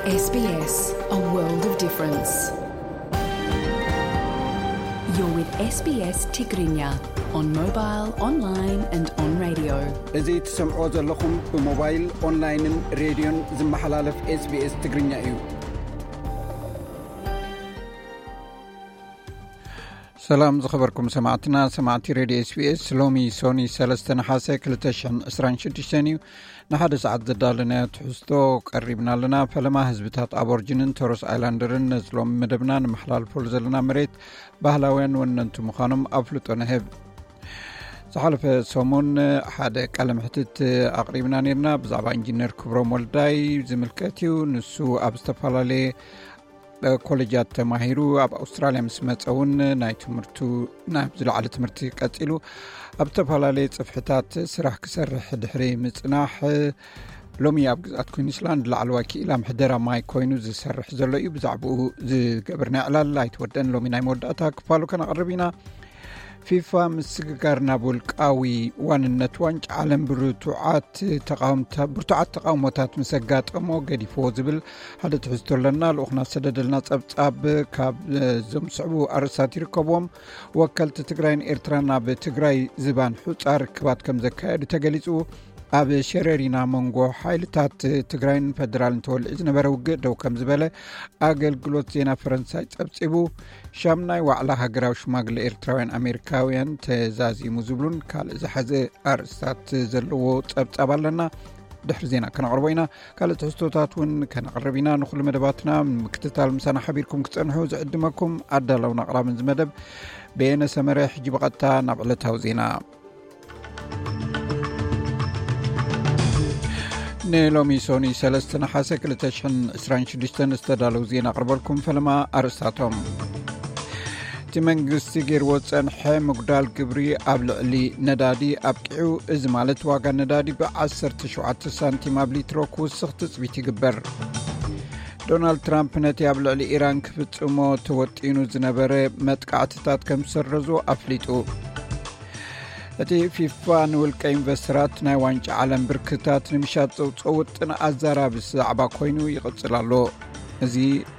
S B S, a world of difference. You're with S B S Tigrinya on mobile, online and on radio. እዚ ትሰምዕዎ ዘለኹም ብሞባይል፣ ኦንላይንን ሬድዮን ዝመሓላለፍ SBS ትግርኛ እዩ። ሰላም ዝኸበርኩም ሰማዕትና፣ ሰማዕቲ ሬድዮ SBS። ሎሚ ሶኒ ሰለስተ ነሓሰ ክልተ ሽሕን ዕስራን ሽዱሽተን እዩ። ንሓደ ሰዓት ዘዳለናዮ ትሕዝቶ ቀሪብና ኣለና። ፈለማ ህዝብታት ኣቦርጅንን ቶረስ ኣይላንደርን ነዚ ሎሚ መደብና ንመሓላልፈሉ ዘለና መሬት ባህላውያን ወነንቲ ምዃኖም ኣፍልጦ ንህብ። ዝሓለፈ ሰሙን ሓደ ቃለ መሕትት ኣቕሪብና ነርና። ብዛዕባ ኢንጂነር ክብሮም ወልዳይ ዝምልከት እዩ። ንሱ ኣብ ዝተፈላለየ ኮሌጃት ተማሂሩ ኣብ ኣውስትራልያ ምስ መጸ እውን ናይ ትምህርቱ፣ ናይ ዝለዓለ ትምህርቲ ቀጺሉ ኣብ ዝተፈላለየ ጽፍሕታት ስራሕ ክሰርሕ ድሕሪ ምጽናሕ፣ ሎሚ ኣብ ግዝኣት ኩዊንስላንድ ላዕለዋይ ክኢላ ምሕደራ ማይ ኮይኑ ዝሰርሕ ዘሎ እዩ። ብዛዕባኡ ዝገብርና ዕላል ኣይተወደን። ሎሚ ናይ መወዳእታ ክፋሉ ከነቕርብ ኢና። ፊፋ ምስግጋር ናብ ውልቃዊ ዋንነት ዋንጫ ዓለም ብርቱዓት ተቃውምታ-፣ ብርቱዓት ተቃውሞታት ምስ ኣጋጠሞ ገዲፍዎ ዝብል ሓደ ትሕዝቶ ኣለና። ልኡኽና ዝሰደደልና ጸብጻብ ካብ፣ እ፣ እዞም ዝስዕቡ ኣርእስታት ይርከብዎም። ወከልቲ ትግራይን ኤርትራን ኣብ ትግራይ ዝባን ሑጻ ርክባት ከም ዘካየዱ ተገሊጹ። ኣብ ሸረሪና መንጎ ሓይልታት ትግራይን ፈደራልን ተወሊዑ ዝነበረ ውግእ ደው ከም ዝበለ ኣገልግሎት ዜና ፈረንሳይ ጸብጺቡ። ሻምናይ ዋዕላ ሃገራዊ ሽማግለ ኤርትራውያን ኣሜሪካውያን ተዛዚሙ ዝብሉን ካልእ ዝሓዘ ኣርእስታት ዘለዎ ጸብጻብ ኣለና። ድሕሪ ዜና ከነቕርቦ ኢና። ካልእ ትሕዝቶታት እውን ከነቕርብ ኢና። ንኹሉ መደባትና ምክትታል ምሳና ሓቢርኩም ክጸንሑ ዝዕድመኩም ኣዳላውን ኣቕራብን ዝመደብ በየነ ሰመረ። ሕጂ ብቐጥታ ናብ ዕለታዊ ዜና። ንሎሚ ሶኒ ሰለስተ ነሓሰ ክልተ ሽሕን ዕስራን ሽዱሽተን ዝተዳለዉ ዜና ኣቕርበልኩም። ፈለማ ኣርእስታቶም። እቲ መንግስቲ ገይርዎ ዝጸንሐ ምጉዳል ግብሪ ኣብ ልዕሊ ነዳዲ ኣብቂዑ። እዚ ማለት ዋጋ ነዳዲ ብዓሰርተ ሸውዓተ ሳንቲም ኣብ ሊትሮ ክውስኽ ትጽቢት ይግበር። ዶናልድ ትራምፕ ነቲ ኣብ ልዕሊ ኢራን ክፍጽሞ ተወጢኑ ዝነበረ መጥቃዕትታት ከም ዝሰረዞ ኣፍሊጡ። እቲ ፊፋ ንውልቀ ኢንቨስተራት ናይ ዋንጫ ዓለም ብርክታት ንምሻጥ ዘውፅኦ ውጥን ኣዛራቢ ዛዕባ ኮይኑ ይቕጽል ኣሎ። እዚ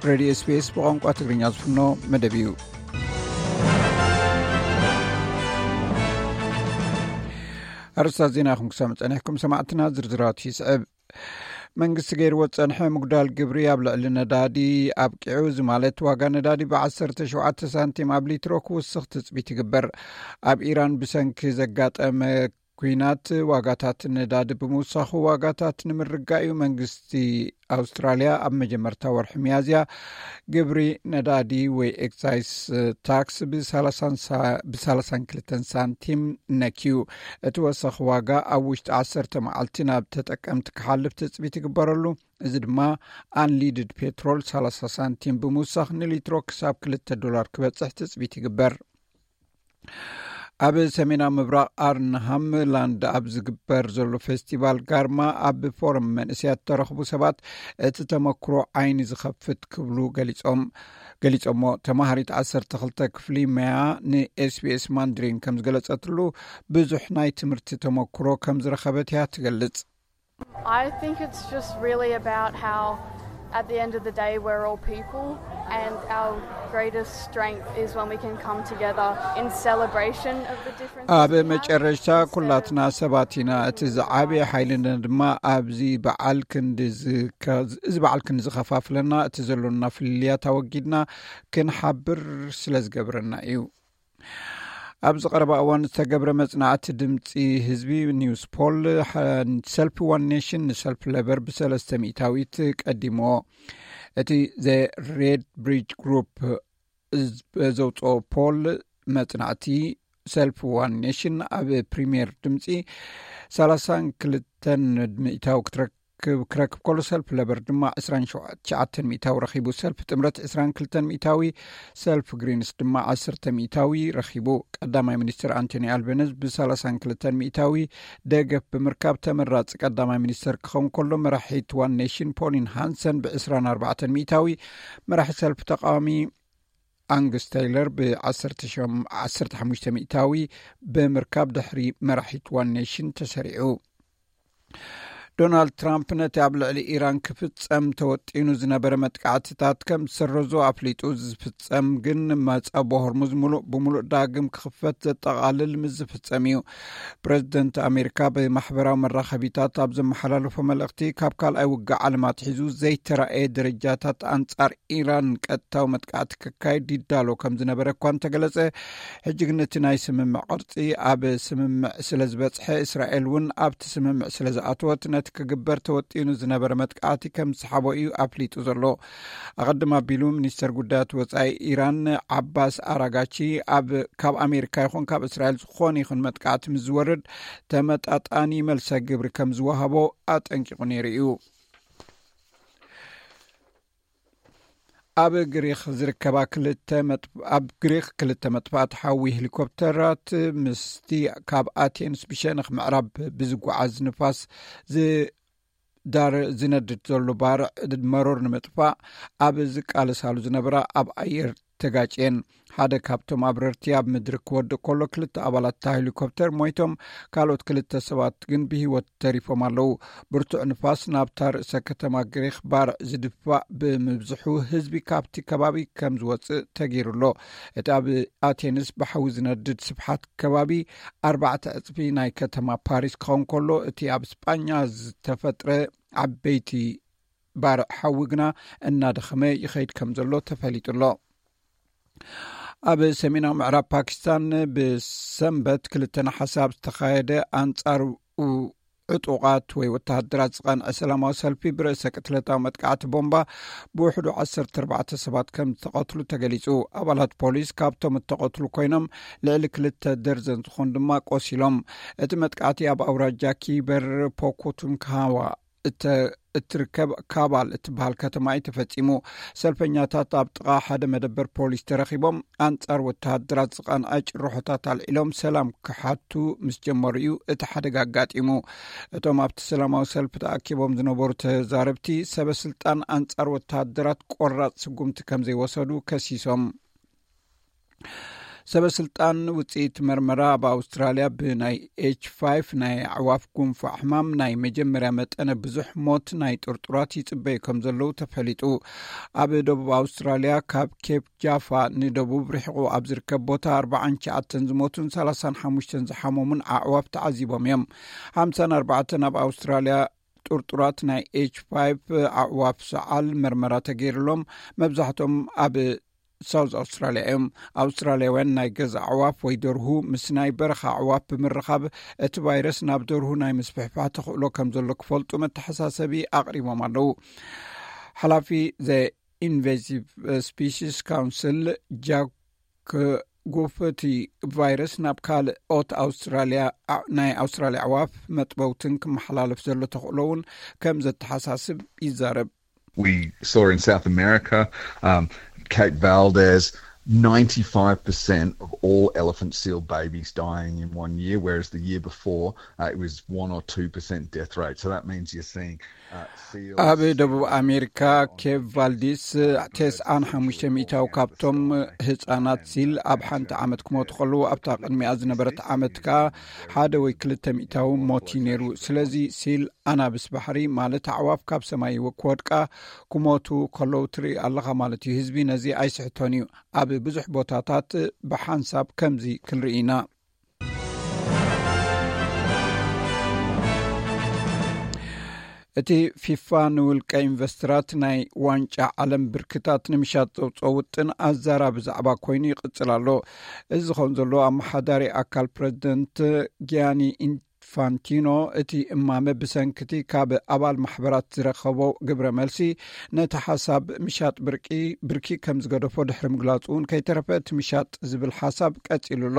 ሬድዮ SBS ብቋንቋ ትግርኛ ዝፍኖ መደብ እዩ። ኣርእስታት ዜና ኢኹም ክሰምዑ ጸኒሕኩም ሰማዕትና፣ ዝርዝራቱ ይስዕብ። መንግስቲ ገይርዎ ዝጸንሐ ምጉዳል ግብሪ ኣብ ልዕሊ ነዳዲ ኣብቂዑ። እዚ ማለት ዋጋ ነዳዲ ብዓሰርተ ሸውዓተ ሳንቲም ኣብ ሊትሮ ክውስኽ ትጽቢት ይግበር። ኣብ ኢራን ብሰንኪ ዘጋጠመ ኲናት ዋጋታት ነዳዲ ብምውሳኹ ዋጋታት ንምርጋእ እዩ መንግስቲ ኣውስትራልያ ኣብ መጀመርታ ወርሒ ሚያዝያ ግብሪ ነዳዲ ወይ ኤክሳይስ ታክስ ብሰላሳን ሳ-፣ ብሰላሳን ክልተን ሳንቲም ነክዩ። እቲ ወሰኽ ዋጋ ኣብ ውሽጢ ዓሰርተ መዓልቲ ናብ ተጠቀምቲ ክሓልፍ ትጽቢት ይግበረሉ። እዚ ድማ ኣንሊድድ ፔትሮል ሰላሳ ሳንቲም ብምውሳኽ ንሊትሮ ክሳብ ክልተ ዶላር ክበጽሕ ትጽቢት ይግበር። ኣብ ሰሜናዊ ምብራቕ ኣርንሃም ላንድ ኣብ ዝግበር ዘሎ ፌስቲቫል ጋርማ ኣብ ፎረም መንእሰያት ዝተረኽቡ ሰባት እቲ ተመክሮ ዓይኒ ዝኸፍት ክብሉ ገሊጾም፣ ገሊጾሞ። ተማሃሪት ዓሰርተ ክልተ ክፍሊ መያ ን SBS ማንድሪን ከም ዝገለጸትሉ፣ ብዙሕ ናይ ትምህርቲ ተመክሮ ከም ዝረኸበት እያ ትገልጽ። I think it's just really about how, at the end of the day, we're all people, and our greatest strength is when we can come together in celebration of the differences ኣብ we have, መጨረሽታ instead of ኩላትና ሰባት ኢና። እቲ ዝዓበየ ሓይልና ድማ ኣብዚ በዓል ክንዲ ዝከ-፣ እዚ በዓል ክንዲ ዝኸፋፍለና፣ እቲ ዘሎና ፍልልያት ኣወጊድና ክንሓብር ስለ ዝገብረና እዩ። ኣብዚ ቀረባ እዋን ዝተገብረ መጽናዕቲ ድምጺ ህዝቢ ኒውስ ፖል፣ ሓ-፣ ሰልፊ ዋን ኔሽን ንሰልፊ ሌበር ብሰለስተ ሚእታዊት ቀዲምዎ። እቲ ዘ ሬድ ብሪጅ ግሩፕ ዝ-፣ ዘውጽኦ ፖል፣ መጽናዕቲ ሰልፊ ዋን ኔሽን ኣብ ፕሪምየር ድምጺ ሰላሳን ክልተን ሚእታዊ ክትረክብ፣ ክረክብ ከሎ፣ ሰልፊ ሌበር ድማ ዕስራን ትሽዓተን ሚእታዊ ረኺቡ። ሰልፊ ጥምረት ዕስራን ክልተን ሚእታዊ፣ ሰልፊ ግሪንስ ድማ ዓሰርተ ሚእታዊ ረኺቡ። ቀዳማይ ሚኒስትር ኣንቶኒ ኣልበነዝ ብሰላሳን ክልተን ሚእታዊ ደገፍ ብምርካብ ተመራጺ ቀዳማይ ሚኒስትር ክኸውን ከሎ፣ መራሒት ዋን ኔሽን ፖሊን ሃንሰን ብዕስራን ኣርባዕተን ሚእታዊ፣ መራሒ ሰልፊ ተቃዋሚ ኣንግስ ቴይለር ብዓሰርተ ሸም-፣ ዓሰርተ ሓሙሽተ ሚእታዊ ብምርካብ ድሕሪ መራሒት ዋን ኔሽን ተሰሪዑ። ዶናልድ ትራምፕ ነቲ ኣብ ልዕሊ ኢራን ክፍጸም ተወጢኑ ዝነበረ መጥቃዕትታት ከም ዝሰረዞ ኣፍሊጡ። ዝፍጸም ግን መጸቦ ሆርሙዝ ሙሉእ ብሙሉእ ዳግም ክኽፈት ዘጠቓልል ምስ ዝፍጸም እዩ። ፕረዚደንት ኣሜሪካ ብማሕበራዊ መራኸቢታት ኣብ ዘመሓላለፎ መልእኽቲ፣ ካብ ካልኣይ ውግእ ዓለም ኣትሒዙ ዘይተራእየ ደረጃታት ኣንጻር ኢራን ቀጥታዊ መጥቃዕቲ ክካየድ ይዳሎ ከም ዝነበረ እኳ እንተገለጸ፣ ሕጂ ግን እቲ ናይ ስምምዕ ቅርጺ ኣብ ስምምዕ ስለ ዝበጽሐ፣ እስራኤል እውን ኣብቲ ስምምዕ ስለ ዝኣተወት፣ ነቲ ክግበር ተወጢኑ ዝነበረ መጥቃዕቲ ከም ዝሰሓቦ እዩ ኣፍሊጡ ዘሎ። ኣቐድም ኣቢሉ ሚኒስተር ጉዳያት ወጻኢ ኢራን ዓባስ ኣራጋቺ፣ ኣብ ካብ ኣሜሪካ ይኹን ካብ እስራኤል ዝኾነ ይኹን መጥቃዕቲ ምስ ዝወርድ፣ ተመጣጣኒ መልሰ ግብሪ ከም ዝወሃቦ ኣጠንቂቑ ነይሩ እዩ። ኣብ ግሪክ ዝርከባ ክልተ መጥ-፣ ኣብ ግሪክ ክልተ መጥፋእቲ ሓዊ ሄሊኮፕተራት ምስቲ ካብ ኣቴንስ ብሸነኽ ምዕራብ ብዝጓዓዝ ንፋስ ዝዳር ዝነድድ ዘሎ ባርዕ መሮር ንምጥፋእ ኣብ ዝቃለሳሉ ዝነበራ ኣብ ኣየር ተጋጭየን። ሓደ ካብቶም ኣብረርቲ ኣብ ምድሪ ክወድቅ ከሎ፣ ክልተ ኣባላት እታ ሄሊኮፕተር ሞይቶም፣ ካልኦት ክልተ ሰባት ግን ብህይወት ተሪፎም ኣለዉ። ብርቱዕ ንፋስ ናብታ ርእሰ ከተማ ግሪክ ባርዕ ዝድፋእ ብምብዝሑ፣ ህዝቢ ካብቲ ከባቢ ከም ዝወጽእ ተገይሩ ኣሎ። እቲ ኣብ ኣቴንስ ብሓዊ ዝነድድ ስፍሓት ከባቢ ኣርባዕተ ዕጽፊ ናይ ከተማ ፓሪስ ክኸውን ከሎ፣ እቲ ኣብ ስጳኛ ዝተፈጥረ ዓበይቲ ባርዕ ሓዊ ግና እናደኸመ ይኸይድ ከም ዘሎ ተፈሊጡ ኣሎ። ኣብ ሰሜናዊ ምዕራብ ፓኪስታን ብሰንበት ክልተ ነሓሰ ኣብ ዝተኻየደ ኣንጻር ኡ-፣ ዕጡቓት ወይ ወተሃደራት ዝቐንዐ ሰላማዊ ሰልፊ ብርእሰ ቅትለታዊ መጥቃዕቲ ቦምባ ብውሕዱ ዓሰርተ ኣርባዕተ ሰባት ከም ዝተቐትሉ ተገሊጹ። ኣባላት ፖሊስ ካብቶም እተቐትሉ ኮይኖም፣ ልዕሊ ክልተ ደርዘን ዝኾኑ ድማ ቆሲሎም። እቲ መጥቃዕቲ ኣብ ኣውራጃ ኪበር ፖኮቱንካዋ እተ-፣ እትርከብ ካባል እትበሃል ከተማ እዩ ተፈጺሙ። ሰልፈኛታት ኣብ ጥቓ ሓደ መደበር ፖሊስ ተረኺቦም፣ ኣንጻር ወተሃደራት ዝቐንዐ ጭርሖታት ኣልዒሎም ሰላም ክሓቱ ምስ ጀመሩ እዩ እቲ ሓደጋ ኣጋጢሙ። እቶም ኣብቲ ሰላማዊ ሰልፊ ተኣኪቦም ዝነበሩ ተዛረብቲ፣ ሰበ ስልጣን ኣንጻር ወተሃደራት ቆራጽ ስጉምቲ ከም ዘይወሰዱ ከሲሶም። ሰበ ስልጣን ውጽኢት መርመራ ኣብ ኣውስትራልያ ብናይ ኤች ፋይቭ ናይ ኣዕዋፍ ጉንፋዕ ሕማም ናይ መጀመርያ መጠነ ብዙሕ ሞት ናይ ጥርጡራት ይጽበዩ ከም ዘለዉ ተፈሊጡ። ኣብ ደቡብ ኣውስትራልያ ካብ ኬፕ ጃፋ ንደቡብ ርሒቑ ኣብ ዝርከብ ቦታ ኣርባዓን ትሽዓተን ዝሞቱን ሰላሳን ሓሙሽተን ዝሓመሙን ኣዕዋፍ ተዓዚቦም እዮም። ሓምሳን ኣርባዕተን ኣብ ኣውስትራልያ ጥርጡራት ናይ ኤች ፋይቭ ኣዕዋፍ ሰዓል መርመራ ተገይሩሎም፣ መብዛሕቶም ኣብ ሳውዝ ኣውስትራልያ እዮም። ኣውስትራልያውያን ናይ ገዛ ኣዕዋፍ ወይ ደርሁ ምስ ናይ በረኻ ኣዕዋፍ ብምርኻብ፣ እቲ ቫይረስ ናብ ደርሁ ናይ ምስፍሕፋሕ ተኽእሎ ከም ዘሎ ክፈልጡ መተሓሳሰቢ ኣቕሪቦም ኣለዉ። ሓላፊ ዘ ኢንቨሲቭ ስፒሽስ ካውንስል ጃክ ጉፍ፣ እቲ ቫይረስ ናብ ካልኦት ኣውስትራልያ፣ ናይ ኣውስትራልያ ኣዕዋፍ መጥበውትን ክመሓላለፍ ዘሎ ተኽእሎ እውን ከም ዘተሓሳስብ ይዛረብ። We saw in South America, um, Cape Valdez, ninety-five percent of all elephant seal babies dying in one year, whereas the year before, uh, it was one or two percent death rate. So that means you're seeing, uh, seals ኣብ ደቡብ ኣሜሪካ፣ ኬፕ ቫልዲስ፣ ተስዓን ሓሙሽተ ሚእታዊ ካብቶም ህጻናት ሲል ኣብ ሓንቲ ዓመት ክሞቱ ከለዉ፣ ኣብታ ቅድሚኣ ዝነበረት ዓመት ከኣ ሓደ ወይ ክልተ ሚእታዊ ሞት እዩ ነይሩ። ስለዚ ሲል፣ ኣናብስ ባሕሪ፣ ማለት ኣዕዋፍ ካብ ሰማይ ክወድቃ ክሞቱ ከለዉ ትርኢ ኣለኻ ማለት እዩ። ህዝቢ ነዚ ኣይስሕቶን እዩ። ኣብ ብዙሕ ቦታታት ብሓንሳብ ከምዚ ክንርኢ ኢና። እቲ ፊፋ ንውልቀ ኢንቨስተራት ናይ ዋንጫ ዓለም ብርክታት ንምሻጥ ዘውፅኦ ውጥን ኣዛራቢ ዛዕባ ኮይኑ ይቕጽል ኣሎ። እዚ ዝኸውን ዘሎ፣ ኣመሓዳሪ ኣካል ፕረዚደንት ጊያኒ ኢንፋንቲኖ፣ እቲ እማመ ብሰንክቲ ካብ ኣባል ማሕበራት ዝረኸቦ ግብረ መልሲ፣ ነቲ ሓሳብ ምሻጥ ብርቂ፣ ብርኪ ከም ዝገደፎ ድሕሪ ምግላጹ እውን ከይተረፈ፣ እቲ ምሻጥ ዝብል ሓሳብ ቀጺሉ ኣሎ።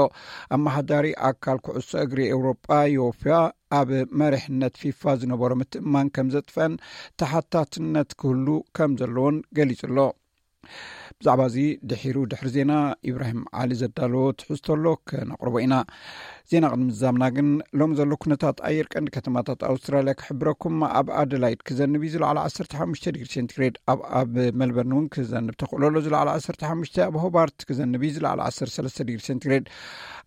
ኣመሓዳሪ ኣካል ኩዕሶ እግሪ ኤውሮጳ፣ ዮፊያ፣ ኣብ መሪሕነት ፊፋ ዝነበሮ ምትእምማን ከም ዘጥፈን ተሓታትነት ክህሉ ከም ዘለዎን ገሊጹ ኣሎ። ብዛዕባ እዚ ድሒሩ ድሕሪ ዜና ኢብራሂም ዓሊ ዘዳለዎ ትሕዝቶ ኣሎ፣ ከነቕርቦ ኢና። ዜና ቅድሚ ምዛምና ግን፣ ሎም ዘሎ ኩነታት ኣየር ቀንዲ ከተማታት ኣውስትራልያ ክሕብረኩም። ኣብ ኣደላይድ ክዘንብ እዩ፣ ዝለዓለ ዓሰርተ ሓሙሽተ ዲግሪ ሴንቲግሬድ። ኣብ፣ ኣብ መልበርን እውን ክዘንብ ተኽእሎ ኣሎ፣ ዝለዓለ ዓሰርተ ሓሙሽተ። ኣብ ሆባርት ክዘንብ እዩ፣ ዝለዓለ ዓሰርተ ሰለስተ ዲግሪ ሴንቲግሬድ።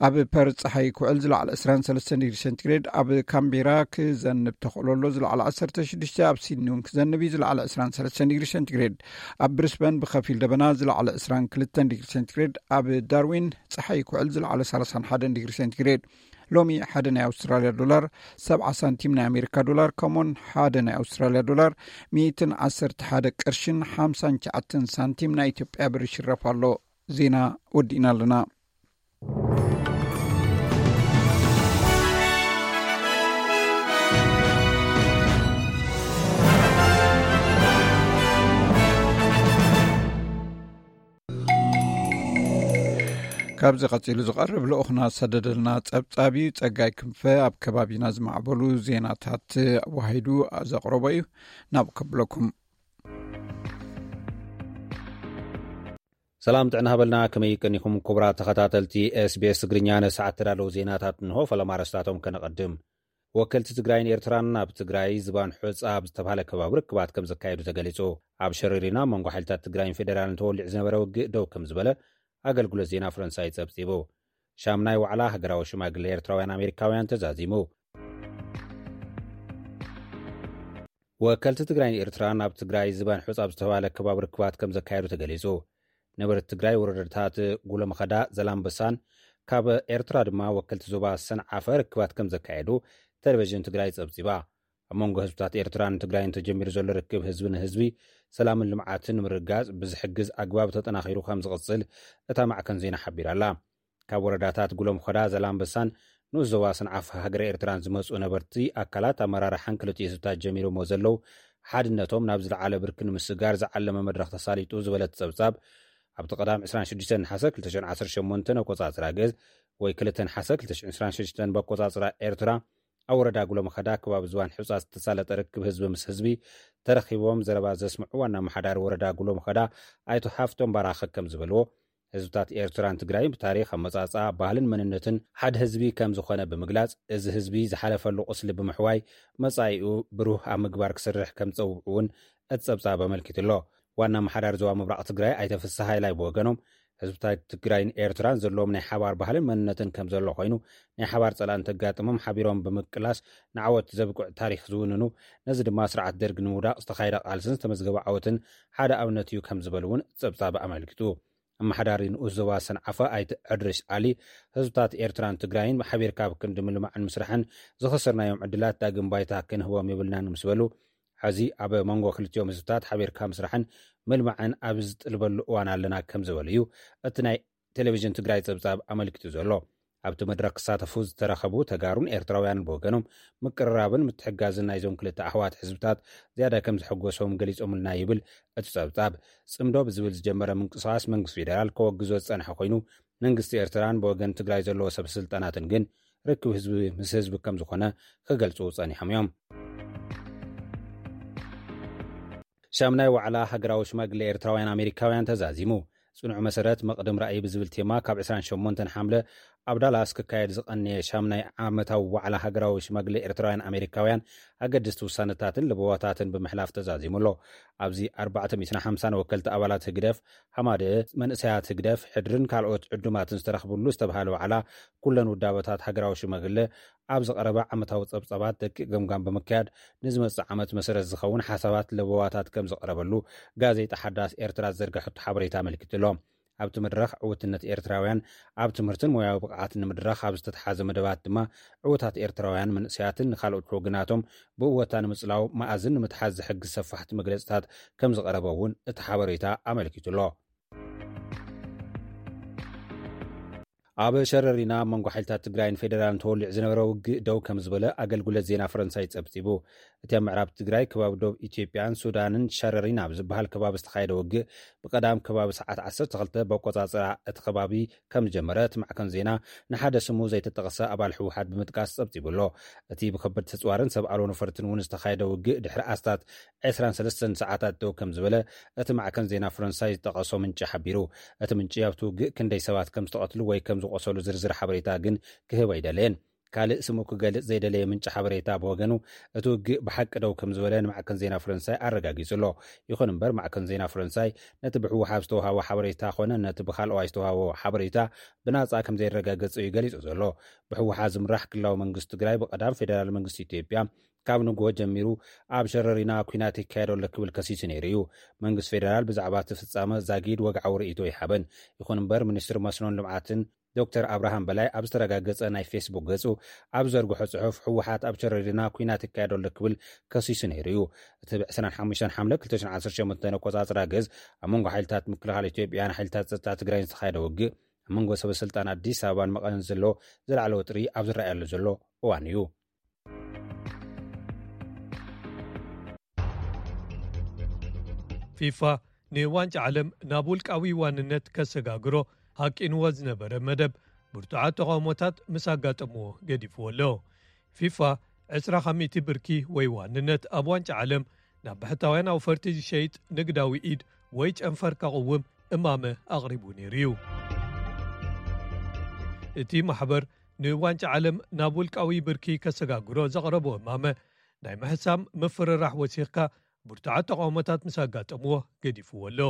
ኣብ ፐርዝ ጸሓይ ክውዕል፣ ዝለዓለ ዕስራን ሰለስተን ዲግሪ ሴንቲግሬድ። ኣብ ካምቤራ ክዘንብ ተኽእሎ ኣሎ፣ ዝለዓለ ዓሰርተ ሽዱሽተ። ኣብ ሲድኒ እውን ክዘንብ እዩ፣ ዝለዓለ ዕስራን ሰለስተን ዲግሪ ሴንቲግሬድ። ኣብ ብሪስበን ብኸፊል ደበና፣ ዝለዓለ ዕስራን ክልተን ዲግሪ ሴንቲግሬድ። ኣብ ዳርዊን ጸሓይ ክውዕል፣ ዝለዓለ ሰላሳን ሓደን ዲግሪ ሴንቲግሬድ። ሎሚ ሓደ ናይ ኣውስትራልያ ዶላር ሰብዓ ሳንቲም ናይ ኣሜሪካ ዶላር፣ ከምኡውን ሓደ ናይ ኣውስትራልያ ዶላር ሚእትን ዓሰርተ ሓደ ቅርሽን ሓምሳን ትሽዓተን ሳንቲም ናይ ኢትዮጵያ ብር ይሽረፍ ኣሎ። ዜና ወዲእና ኣለና። ካብዚ ቀጺሉ ዝቐርብ ልኡኽና ዝሰደደልና ጸብጻብ እዩ። ጸጋይ ክንፈ ኣብ ከባቢና ዝማዕበሉ ዜናታት ኣዋሂዱ ዘቕረቦ እዩ። ናብ ከብለኩም። ሰላም ጥዕና ሃበልና፣ ከመይ ቀኒኹም ክቡራት ተኸታተልቲ ኤስቢኤስ ትግርኛ? ንሰዓት ተዳለዉ ዜናታት እንሆ። ፈለማ ኣርእስታቶም ከነቐድም። ወከልቲ ትግራይን ኤርትራን ኣብ ትግራይ ዝባን ሑጻ ኣብ ዝተባህለ ከባቢ ርክባት ከም ዘካየዱ ተገሊጹ። ኣብ ሸረሪና መንጎ ሓይልታት ትግራይን ፌደራልን ተወሊዑ ዝነበረ ውግእ ደው ከም ዝበለ ኣገልግሎት ዜና ፈረንሳይ ጸብጺቡ። ሻምናይ ዋዕላ ሃገራዊ ሽማግለ ኤርትራውያን ኣሜሪካውያን ተዛዚሙ። ወከልቲ ትግራይን ኤርትራን ኣብ ትግራይ ዝባን ሑጻ ኣብ ዝተባህለ ከባቢ ርክባት ከም ዘካየዱ ተገሊጹ። ነበርቲ ትግራይ ወረዳታት ጉለመኸዳ፣ ዘላምበሳን ካብ ኤርትራ ድማ ወከልቲ ዞባ ሰንዓፈ ርክባት ከም ዘካየዱ ቴሌቪዥን ትግራይ ጸብጺባ። ኣብ መንጎ ህዝብታት ኤርትራን ትግራይን ተጀሚሩ ዘሎ ርክብ ህዝቢ ንህዝቢ ሰላምን ልምዓትን ንምርግጋጽ ብዝሕግዝ ኣግባብ ተጠናኺሩ ከም ዝቕጽል እታ ማዕከን ዜና ሓቢራ ኣላ። ካብ ወረዳታት ጉለምኾዳ፣ ዘላምበሳን ንኡስ ዞባ ሰንዓፈ ሃገረ ኤርትራን ዝመጹ ነበርቲ ኣካላት ኣመራርሓን ክልቲኡ ህዝብታት ጀሚሮሞ ዘለዉ ሓድነቶም ናብ ዝለዓለ ብርኪ ንምስጋር ዝዓለመ መድረኽ ተሳሊጡ ዝበለት ጸብጻብ፣ ኣብቲ ቀዳም ዕስራን ሽዱሽተን ነሓሰ ክልተ ሽሕን ዓሰርተ ሸሞንተን ኣቆጻጽራ ግእዝ ወይ ክልተ ነሓሰ ክልተ ሽሕን ዕስራን ሽዱሽተን በቆጻጽራ ኤርትራ፣ ኣብ ወረዳ ጉለምኸዳ ከባቢ ዝባን ሑጻ ዝተሳለጠ ርክብ ህዝቢ ምስ ህዝቢ ተረኺቦም ዘረባ ዘስምዑ ዋና ኣመሓዳሪ ወረዳ ጉለምኸዳ ኣይቶ ሃፍቶም ባራኸ ከም ዝበልዎ፣ ህዝብታት ኤርትራን ትግራይን ብታሪኽ ኣመጻጽኣ፣ ባህልን መንነትን ሓደ ህዝቢ ከም ዝኾነ ብምግላጽ፣ እዚ ህዝቢ ዝሓለፈሉ ቁስሊ ብምሕዋይ መጻኢኡ ብሩህ ኣብ ምግባር ክስርሕ ከም ዝጸውዑ እውን እቲ ጸብጻብ ኣመልኪቱ ኣሎ። ዋና ኣመሓዳሪ ዞባ ምብራቕ ትግራይ ኣይተ ፍስሃ ሃይላይ ብወገኖም፣ ህዝብታት ትግራይን ኤርትራን ዘለዎም ናይ ሓባር ባህልን መንነትን ከም ዘሎ ኮይኑ፣ ናይ ሓባር ጸላእን ተጋጥሞም ሓቢሮም ብምቅላስ ንዓወት ዘብቅዕ ታሪኽ ዝውንኑ፣ ነዚ ድማ ስርዓት ደርግ ንምውዳቕ ዝተኻየደ ቃልስን ዝተመዝገበ ዓወትን ሓደ ኣብነት እዩ ከም ዝበሉ እውን ጸብጻብ ኣመልኪቱ። ኣመሓዳሪ ንኡስ ዞባ ሰንዓፈ ኣይተ ዕድሪስ ዓሊ፣ ህዝብታት ኤርትራን ትግራይን ሓቢርካ ኣብ ክንዲ ምልማዕን ምስራሕን ዝኸሰርናዮም ዕድላት ዳግም ባይታ ክንህቦም የብልናን ምስ በሉ፣ ሕዚ ኣብ መንጎ ክልቲኦም ህዝብታት ሓቢርካ ምስራሕን ምልማዕን ኣብ ዝጥልበሉ እዋን ኣለና ከም ዝበሉ እዩ እቲ ናይ ቴሌቪዥን ትግራይ ጸብጻብ ኣመልኪቱ ዘሎ። ኣብቲ መድረኽ ክሳተፉ ዝተረኸቡ ተጋሩን ኤርትራውያንን ብወገኖም፣ ምቅርራብን ምትሕጋዝን ናይዞም ክልተ ኣሕዋት ህዝብታት ዝያዳ ከም ዘሐጎሶም ገሊጾምልና ይብል እቲ ጸብጻብ። ጽምዶ ብዝብል ዝጀመረ ምንቅስቓስ መንግስቲ ፌደራል ከወግዞ ዝጸንሐ ኮይኑ፣ መንግስቲ ኤርትራን ብወገን ትግራይ ዘለዎ ሰብ ስልጣናትን ግን ርክብ ህዝቢ ምስ ህዝቢ ከም ዝኾነ ክገልጹ ጸኒሖም እዮም። ሻምናይ ዋዕላ ሃገራዊ ሽማግለ ኤርትራውያን ኣሜሪካውያን ተዛዚሙ። ጽኑዕ መሰረት መቕድም ራእይ ብዝብል ቴማ ካብ ዕስራን ሸሞንተን ሓምለ ኣብ ዳላስ ክካየድ ዝቐነየ ሻምናይ ዓመታዊ ዋዕላ ሃገራዊ ሽማግለ ኤርትራውያን ኣሜሪካውያን ኣገድስቲ ውሳነታትን ለበዋታትን ብምሕላፍ ተዛዚሙ ኣሎ። ኣብዚ ኣርባዕተ ሚእትን ሓምሳን ወከልቲ ኣባላት ህግደፍ፣ ሃማደት፣ መንእሰያት ህግደፍ፣ ሕድርን ካልኦት ዕዱማትን ዝተረኽብሉ ዝተባሃለ ዋዕላ፣ ኩለን ውዳበታት ሃገራዊ ሽማግለ ኣብ ዝቐረበ ዓመታዊ ጸብጻባት ደቂቕ ገምጋም ብምክያድ፣ ንዝመጽእ ዓመት መሰረት ዝኸውን ሓሳባት ለበዋታት ከም ዝቐረበሉ ጋዜጣ ሓዳስ ኤርትራ ዝዘርገሐቶ ሓበሬታ ኣመልኪቱ ኣሎ። ኣብቲ መድረኽ ዕውትነት ኤርትራውያን ኣብ ትምህርትን ሞያዊ ብቕዓትን ንምድራኽ ኣብ ዝተትሓዘ መደባት ድማ፣ ዕዉታት ኤርትራውያን መንእሰያትን ንኻልኦት ወገናቶም ብእወታ ንምጽላው መኣዝን ንምትሓዝ ዝሕግዝ ሰፋሕቲ መግለጽታት ከም ዝቐረበ እውን እቲ ሓበሬታ ኣመልኪቱ ኣሎ። ኣብ ሸረሪና ኣብ መንጎ ሓይልታት ትግራይን ፌደራልን ተወሊዑ ዝነበረ ውግእ ደው ከም ዝበለ ኣገልግሎት ዜና ፈረንሳይ ጸብጺቡ። እቲ ኣብ ምዕራብ ትግራይ ከባቢ ዶብ ኢትዮጵያን ሱዳንን ሸረሪና ኣብ ዝበሃል ከባቢ ዝተኻየደ ውግእ ብቐዳም ከባቢ ሰዓት ዓሰርተ ክልተ በቆጻጽራ እቲ ከባቢ ከም ዝጀመረ እቲ ማዕከን ዜና ንሓደ ስሙ ዘይተጠቕሰ ኣባል ህወሓት ብምጥቃስ ጸብጺቡ ኣሎ። እቲ ብከበድቲ ኣጽዋርን ሰብ ኣልቦ ነፈርትን እውን ዝተኻየደ ውግእ ድሕሪ ኣስታት ዕስራን ሰለስተን ሰዓታት ደው ከም ዝበለ እቲ ማዕከን ዜና ፈረንሳይ ዝጠቐሶ ምንጪ ሓቢሩ። እቲ ምንጪ ኣብቲ ውግእ ክንደይ ሰባት ከም ዝተቐትሉ ወይ ከም ዝቆሰሉ ዝርዝር ሓበሬታ ግን ክህብ ኣይደለየን። ካልእ ስሙ ክገልጽ ዘይደለየ ምንጪ ሓበሬታ ብወገኑ፣ እቲ ውግእ ብሓቂ ደው ከም ዝበለ ንማዕከን ዜና ፈረንሳይ ኣረጋጊጹ ኣሎ። ይኹን እምበር ማዕከን ዜና ፈረንሳይ ነቲ ብህወሓት ዝተዋሃቦ ሓበሬታ ኮነ ነቲ ብካልኦዋይ ዝተዋሃቦ ሓበሬታ ብናጻ ከም ዘይረጋገጸ እዩ ገሊጹ ዘሎ። ብህወሓት ዝምራሕ ክልላዊ መንግስቲ ትግራይ ብቐዳም ፌደራል መንግስቲ ኢትዮጵያ ካብ ንግሆ ጀሚሩ ኣብ ሸረሪና ኲናት ይካየድ ኣሎ ክብል ከሲሱ ነይሩ እዩ። መንግስቲ ፌደራል ብዛዕባ እቲ ፍጻመ ዛጊድ ወግዓዊ ርእይቶ ይሃበን። ይኹን እምበር ሚኒስትሪ መስኖን ልምዓትን ዶክተር ኣብርሃም በላይ ኣብ ዝተረጋገጸ ናይ ፌስቡክ ገጹ ኣብ ዘርግሖ ጽሑፍ፣ ህወሓት ኣብ ሸረሪና ኲናት ይካየድ ኣሎ ክብል ከሲሱ ነይሩ እዩ። እቲ ብ ዕስራን ሓሙሽተን ሓምለ ክልተ ሽሕን ዓሰርተ ሸሞንተን ኣቆጻጽራ ገዝ ኣብ መንጎ ሓይልታት ምክልኻል ኢትዮጵያን ሓይልታት ጸጥታ ትግራይን ዝተኻየደ ውግእ ኣብ መንጎ ሰበ ስልጣን ኣዲስ ኣበባን መቐለን ዘሎ ዝለዓለ ወጥሪ ኣብ ዝረኣየሉ ዘሎ እዋን እዩ። ፊፋ ንዋንጫ ዓለም ናብ ውልቃዊ ዋንነት ከሰጋግሮ ሃቂንዎ ዝነበረ መደብ ብርቱዓት ተቓውሞታት ምስ ኣጋጠምዎ ገዲፍዎ ኣሎ። ፊፋ ዕስራ ካብ ሚእቲ ብርኪ ወይ ዋንነት ኣብ ዋንጫ ዓለም ናብ ብሕታውያን ኣውፈርቲ ዝሸይጥ ንግዳዊ ኢድ ወይ ጨንፈር ከቕውም እማመ ኣቕሪቡ ነይሩ እዩ። እቲ ማሕበር ንዋንጫ ዓለም ናብ ውልቃዊ ብርኪ ከሰጋግሮ ዘቕረቦ እማመ ናይ ምሕሳም ምፍርራሕ ወሲኽካ ብርቱዓት ተቓውሞታት ምስ ኣጋጠምዎ ገዲፍዎ ኣሎ።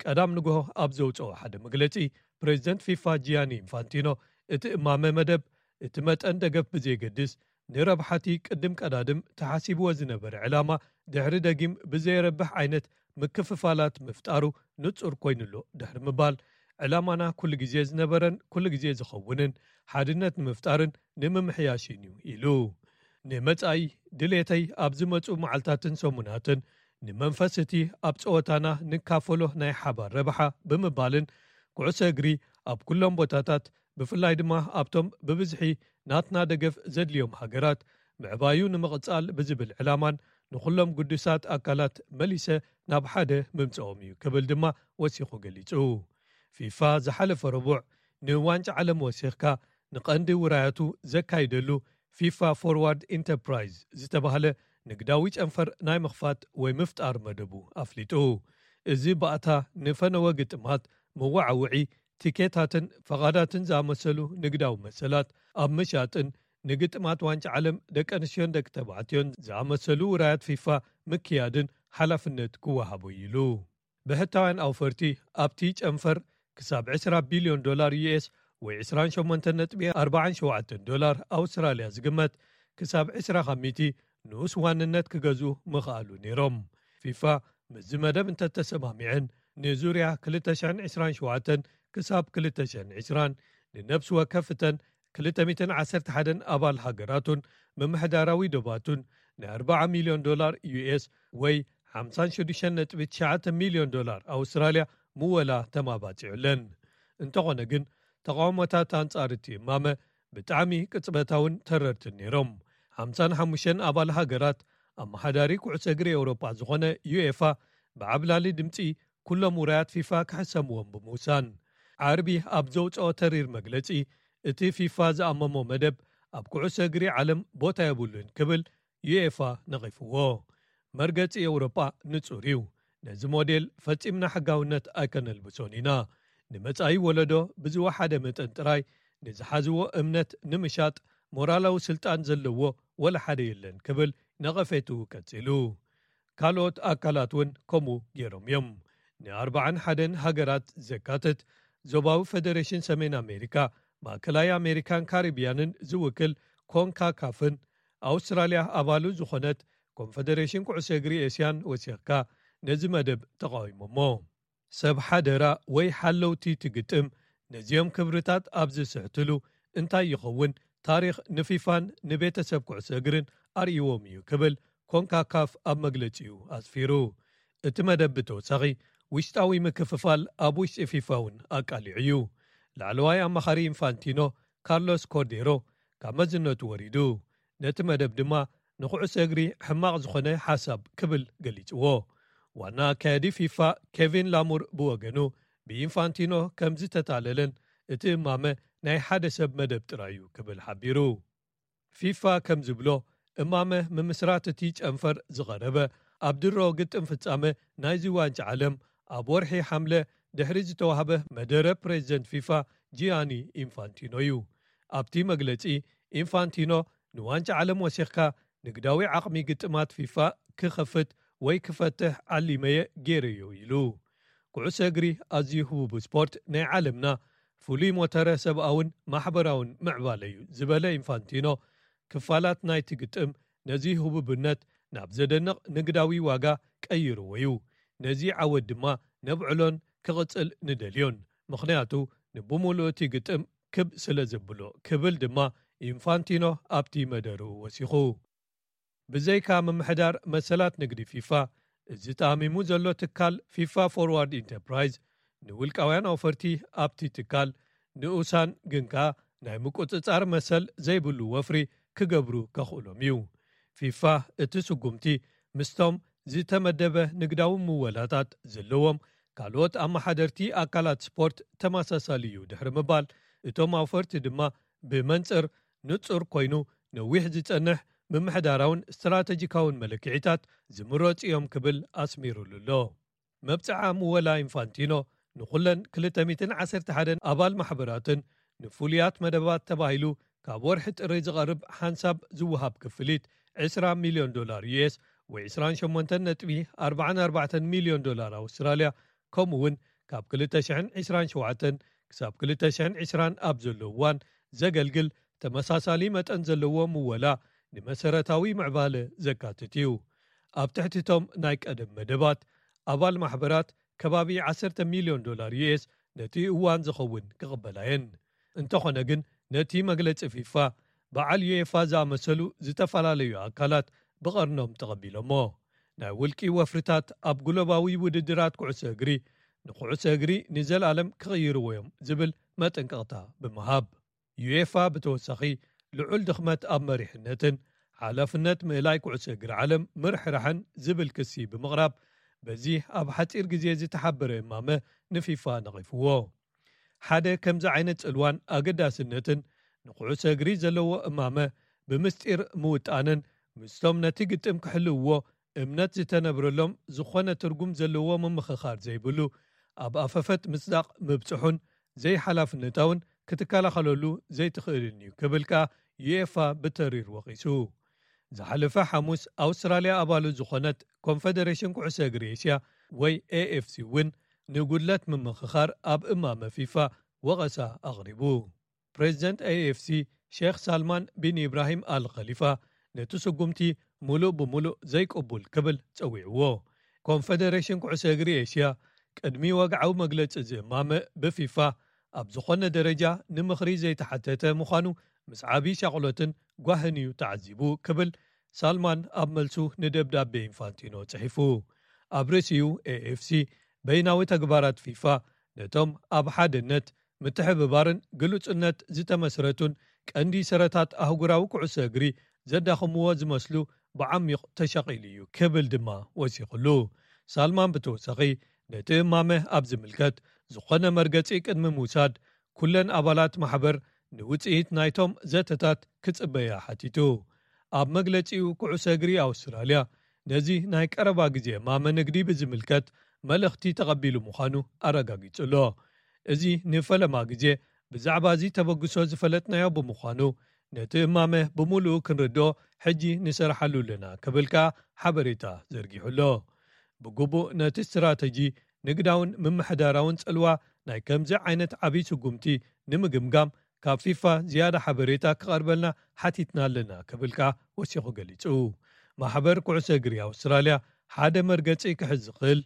ቀዳም ንግሆ ኣብ ዘውፅኦ ሓደ መግለፂ ፕሬዚደንት ፊፋ ጂያኒ ኢንፋንቲኖ እቲ እማመ መደብ እቲ መጠን ደገፍ ብዘየገድስ ንረብሓቲ ቅድም ቀዳድም ተሓሲብዎ ዝነበረ ዕላማ ድሕሪ ደጊም ብዘየረብሕ ዓይነት ምክፍፋላት ምፍጣሩ ንጹር ኮይኑሎ ድሕሪ ምባል ዕላማና ኩሉ ግዜ ዝነበረን ኩሉ ግዜ ዝኸውንን ሓድነት ንምፍጣርን ንምምሕያሽን እዩ ኢሉ። ንመጻኢ ድሌተይ ኣብ ዝመጹ መዓልታትን ሰሙናትን ንመንፈስ እቲ ኣብ ጸወታና ንካፈሎ ናይ ሓባር ረብሓ ብምባልን ኩዕሶ እግሪ ኣብ ኩሎም ቦታታት ብፍላይ ድማ ኣብቶም ብብዝሒ ናትና ደገፍ ዘድልዮም ሃገራት ምዕባዩ ንምቕጻል ብዝብል ዕላማን ንኹሎም ግዱሳት ኣካላት መሊሰ ናብ ሓደ ምምጽኦም እዩ ክብል ድማ ወሲኹ ገሊጹ። ፊፋ ዝሓለፈ ረቡዕ ንዋንጫ ዓለም ወሲኽካ ንቐንዲ ውራያቱ ዘካይደሉ ፊፋ ፎርዋርድ ኢንተርፕራይዝ ዝተባህለ ንግዳዊ ጨንፈር ናይ ምኽፋት ወይ ምፍጣር መደቡ ኣፍሊጡ። እዚ ባእታ ንፈነወ ግጥማት መወዓውዒ ቲኬታትን ፈቓዳትን ዝኣመሰሉ ንግዳዊ መሰላት ኣብ ምሻጥን ንግጥማት ዋንጫ ዓለም ደቂ ኣንስትዮን ደቂ ተባዕትዮን ዝኣመሰሉ ውራያት ፊፋ ምክያድን ሓላፍነት ክወሃቦ ኢሉ። ብሕታውያን ኣውፈርቲ ኣብቲ ጨንፈር ክሳብ ዕስራ ቢልዮን ዶላር ዩ ኤስ ወይ ዕስራን ሸሞንተን ነጥቢ ኣርባዓን ሸውዓተን ዶላር ኣውስትራልያ ዝግመት ክሳብ ዕስራ ካብ ሚእቲ ንኡስ ዋንነት ክገዝኡ ምኽኣሉ ነይሮም። ፊፋ ምስዚ መደብ እንተተሰማሚዐን ንዙርያ ክልተ ሽሕን ዕስራን ሸውዓተን ክሳብ ክልተ ሽሕን ዕስራን ንነብሲ ወከፍ እተን ክልተ ሚእትን ዓሰርተ ሓደን ኣባል ሃገራቱን ምምሕዳራዊ ዶባቱን ናይ ኣርባዓ ሚልዮን ዶላር ዩ ኤስ ወይ ሓምሳን ሽዱሽተን ነጥቢ ትሽዓተ ሚልዮን ዶላር ኣውስትራልያ ምወላ ተማባጺዑለን። እንተኾነ ግን ተቓውሞታት ኣንጻር እቲ እማመ ብጣዕሚ ቅጽበታውን ተረርትን ነይሮም። ሓምሳን ሓሙሽተን ኣባል ሃገራት ኣመሓዳሪ ኩዕሶ እግሪ ኤውሮጳ ዝኾነ ዩኤፋ ብዓብላሊ ድምጺ ኩሎም ውራያት ፊፋ ክሕሰምዎም ብምውሳን ዓርቢ ኣብ ዘውፅኦ ተሪር መግለፂ እቲ ፊፋ ዝኣመሞ መደብ ኣብ ኩዕሶ እግሪ ዓለም ቦታ የብሉን ክብል ዩኤፋ ነቒፍዎ። መርገፂ ኤውሮጳ ንጹር እዩ። ነዚ ሞዴል ፈጺምና ሕጋውነት ኣይከነልብሶን ኢና። ንመጻኢ ወለዶ ብዝወሓደ መጠን ጥራይ ንዝሓዝዎ እምነት ንምሻጥ ሞራላዊ ስልጣን ዘለዎ ወላ ሓደ የለን ክብል ነቐፌቱ ቀጺሉ። ካልኦት ኣካላት እውን ከምኡ ገይሮም እዮም። ንኣርባዓን ሓደን ሃገራት ዘካትት ዞባዊ ፈደሬሽን ሰሜን ኣሜሪካ፣ ማእከላይ ኣሜሪካን ካሪብያንን ዝውክል ኮንካካፍን ኣውስትራልያ ኣባሉ ዝኾነት ኮንፈደሬሽን ኩዕሶ እግሪ ኤስያን ወሲኽካ ነዚ መደብ ተቓዊሞሞ። ሰብ ሓደራ ወይ ሓለውቲ ትግጥም ነዚኦም ክብርታት ኣብ ዝስሕትሉ እንታይ ይኸውን ታሪኽ ንፊፋን ንቤተሰብ ኩዕሶ እግርን ኣርእይዎም እዩ ክብል ኮንካካፍ ኣብ መግለጺኡ ኣስፊሩ። እቲ መደብ ብተወሳኺ ውሽጣዊ ምክፍፋል ኣብ ውሽጢ ፊፋ እውን ኣቃሊዑ እዩ። ላዕለዋይ ኣማኻሪ ኢንፋንቲኖ ካርሎስ ኮርዴሮ ካብ መዝነቱ ወሪዱ። ነቲ መደብ ድማ ንኩዕሶ እግሪ ሕማቕ ዝኾነ ሓሳብ ክብል ገሊጽዎ። ዋና ኣካያዲ ፊፋ ኬቪን ላሙር ብወገኑ፣ ብኢንፋንቲኖ ከም ዝተታለለን እቲ እማመ ናይ ሓደ ሰብ መደብ ጥራይ እዩ ክብል ሓቢሩ። ፊፋ ከም ዝብሎ፣ እማመ ምምስራት እቲ ጨንፈር ዝቐረበ ኣብ ድሮ ግጥም ፍጻመ ናይዚ ዋንጫ ዓለም ኣብ ወርሒ ሓምለ ድሕሪ ዝተዋህበ መደረ ፕሬዚደንት ፊፋ ጂያኒ ኢንፋንቲኖ እዩ። ኣብቲ መግለጺ፣ ኢንፋንቲኖ ንዋንጫ ዓለም ወሲኽካ ንግዳዊ ዓቕሚ ግጥማት ፊፋ ክኸፍት ወይ ክፈትሕ ዓሊመየ ገይረዮ ኢሉ። ኩዕሶ እግሪ ኣዝዩ ህቡብ ስፖርት ናይ ዓለምና፣ ፍሉይ ሞተረ ሰብኣውን ማሕበራውን ምዕባለ እዩ ዝበለ ኢንፋንቲኖ፣ ክፋላት ናይቲ ግጥም ነዚ ህቡብነት ናብ ዘደንቕ ንግዳዊ ዋጋ ቀይርዎ እዩ። ነዚ ዓወት ድማ ነብዕሎን ክቕጽል ንደልዮን፣ ምኽንያቱ ንብምሉኡ እቲ ግጥም ክብ ስለ ዘብሎ ክብል ድማ ኢንፋንቲኖ ኣብቲ መደርኡ ወሲኹ። ብዘይካ ምምሕዳር መሰላት ንግዲ ፊፋ፣ እዚ ተኣሚሙ ዘሎ ትካል ፊፋ ፎርዋርድ ኢንተርፕራይዝ ንውልቃውያን ኣውፈርቲ ኣብቲ ትካል ንኡሳን ግን ከኣ ናይ ምቁጽጻር መሰል ዘይብሉ ወፍሪ ክገብሩ ከኽእሎም እዩ። ፊፋ እቲ ስጉምቲ ምስቶም ዝተመደበ ንግዳዊ ምወላታት ዘለዎም ካልኦት ኣመሓደርቲ ኣካላት ስፖርት ተመሳሳሊ እዩ ድሕሪ ምባል፣ እቶም ኣውፈርቲ ድማ ብመንጽር ንጹር ኮይኑ ነዊሕ ዝጸንሕ ምምሕዳራውን ስትራተጂካውን መለክዒታት ዝምረጹ እዮም ክብል ኣስሚሩሉ ኣሎ። መብጽዓ ምወላ ኢንፋንቲኖ ንኹለን ክልተ ሚእትን ዓሰርተ ሓደን ኣባል ማሕበራትን ንፍሉያት መደባት ተባሂሉ ካብ ወርሒ ጥሪ ዝቐርብ ሓንሳብ ዝወሃብ ክፍሊት ዕስራ ሚልዮን ዶላር ዩ ኤስ ወይ ዕስራን ሸሞንተን ነጥቢ ኣርባዓን ኣርባዕተን ሚልዮን ዶላር ኣውስትራልያ፣ ከምኡ እውን ካብ ክልተ ሽሕን ዕስራን ሸውዓተን ክሳብ ክልተ ሽሕን ዕስራን ኣብ ዘሎ እዋን ዘገልግል ተመሳሳሊ መጠን ዘለዎ ምወላ ንመሰረታዊ ምዕባለ ዘካትት እዩ። ኣብ ትሕቲ እቶም ናይ ቀደም መደባት፣ ኣባል ማሕበራት ከባቢ ዓሰርተ ሚልዮን ዶላር ዩ ኤስ ነቲ እዋን ዝኸውን ክቕበላ እየን። እንተኾነ ግን፣ ነቲ መግለጺ ፊፋ፣ በዓል ዩኤፋ ዝኣመሰሉ ዝተፈላለዩ ኣካላት ብቐርኖም ተቐቢሎሞ። ናይ ውልቂ ወፍርታት ኣብ ግሎባዊ ውድድራት ኩዕሶ እግሪ፣ ንኩዕሶ እግሪ ንዘለኣለም ክቕይርዎ እዮም ዝብል መጠንቀቕታ ብምሃብ፣ ዩኤፋ ብተወሳኺ ልዑል ድኽመት ኣብ መሪሕነትን ሓላፍነት ምእላይ ኩዕሶ እግሪ ዓለም ምርሕራሕን ዝብል ክሲ ብምቕራብ፣ በዚ ኣብ ሓጺር ግዜ ዝተሓበረ እማመ ንፊፋ ነቒፍዎ። ሓደ ከምዚ ዓይነት ጽልዋን ኣገዳስነትን ንኩዕሶ እግሪ ዘለዎ እማመ ብምስጢር ምውጣንን ምስቶም ነቲ ግጥም ክሕልውዎ እምነት ዝተነብረሎም ዝኾነ ትርጉም ዘለዎ ምምኽኻር ዘይብሉ ኣብ ኣፈፈት ምጽዳቕ ምብጽሑን ዘይሓላፍነታውን ክትከላኸለሉ ዘይትኽእልን እዩ ክብል ከኣ ዩኤፋ ብተሪር ወቒሱ። ዝሓለፈ ሓሙስ ኣውስትራልያ ኣባሉ ዝኾነት ኮንፈደሬሽን ኩዕሶ እግሪ ኤስያ ወይ ኤኤፍሲ እውን ንጉድለት ምምኽኻር ኣብ እማመ ፊፋ ወቐሳ ኣቕሪቡ። ፕሬዚደንት ኤኤፍሲ ሼክ ሳልማን ቢን ኢብራሂም ኣል ኸሊፋ ነቲ ስጉምቲ ሙሉእ ብሙሉእ ዘይቅቡል ክብል ጸዊዕዎ። ኮንፈደሬሽን ኩዕሶ እግሪ ኤስያ ቅድሚ ወግዓዊ መግለጺ እዚ እማመ ብፊፋ ኣብ ዝኾነ ደረጃ ንምኽሪ ዘይተሓተተ ምዃኑ ምስ ዓቢ ሻቕሎትን ጓህን እዩ ተዓዚቡ ክብል ሳልማን ኣብ መልሱ ንደብዳቤ ኢንፋንቲኖ ጽሒፉ። ኣብ ርእሲኡ ኤኤፍሲ በይናዊ ተግባራት ፊፋ ነቶም ኣብ ሓድነት ምትሕብባርን ግሉጽነት ዝተመስረቱን ቀንዲ ሰረታት ኣህጉራዊ ኩዕሶ እግሪ ዘዳኽምዎ ዝመስሉ ብዓሚቕ ተሻቒሉ እዩ ክብል ድማ ወሲኹሉ። ሳልማን ብተወሳኺ ነቲ እማመ ኣብ ዝምልከት ዝኾነ መርገጺ ቅድሚ ምውሳድ ኩለን ኣባላት ማሕበር ንውጽኢት ናይቶም ዘተታት ክጽበያ ሓቲቱ። ኣብ መግለጺኡ ኩዕሶ እግሪ ኣውስትራልያ ነዚ ናይ ቀረባ ግዜ እማመ ንግዲ ብዝምልከት መልእኽቲ ተቐቢሉ ምዃኑ ኣረጋጊጹ ኣሎ። እዚ ንፈለማ ግዜ ብዛዕባ እዚ ተበግሶ ዝፈለጥናዮ ብምዃኑ ነቲ እማመ ብምሉኡ ክንርድኦ ሕጂ ንሰርሓሉ ኣለና ክብል ከኣ ሓበሬታ ዘርጊሑ ኣሎ። ብግቡእ ነቲ ስትራተጂ ንግዳውን ምምሕዳራውን ጽልዋ ናይ ከምዚ ዓይነት ዓብዪ ስጉምቲ ንምግምጋም ካብ ፊፋ ዝያዳ ሓበሬታ ክቐርበልና ሓቲትና ኣለና ክብል ከኣ ወሲኹ ገሊጹ። ማሕበር ኩዕሶ እግሪ ኣውስትራልያ ሓደ መርገጺ ክሕዝ ዝኽእል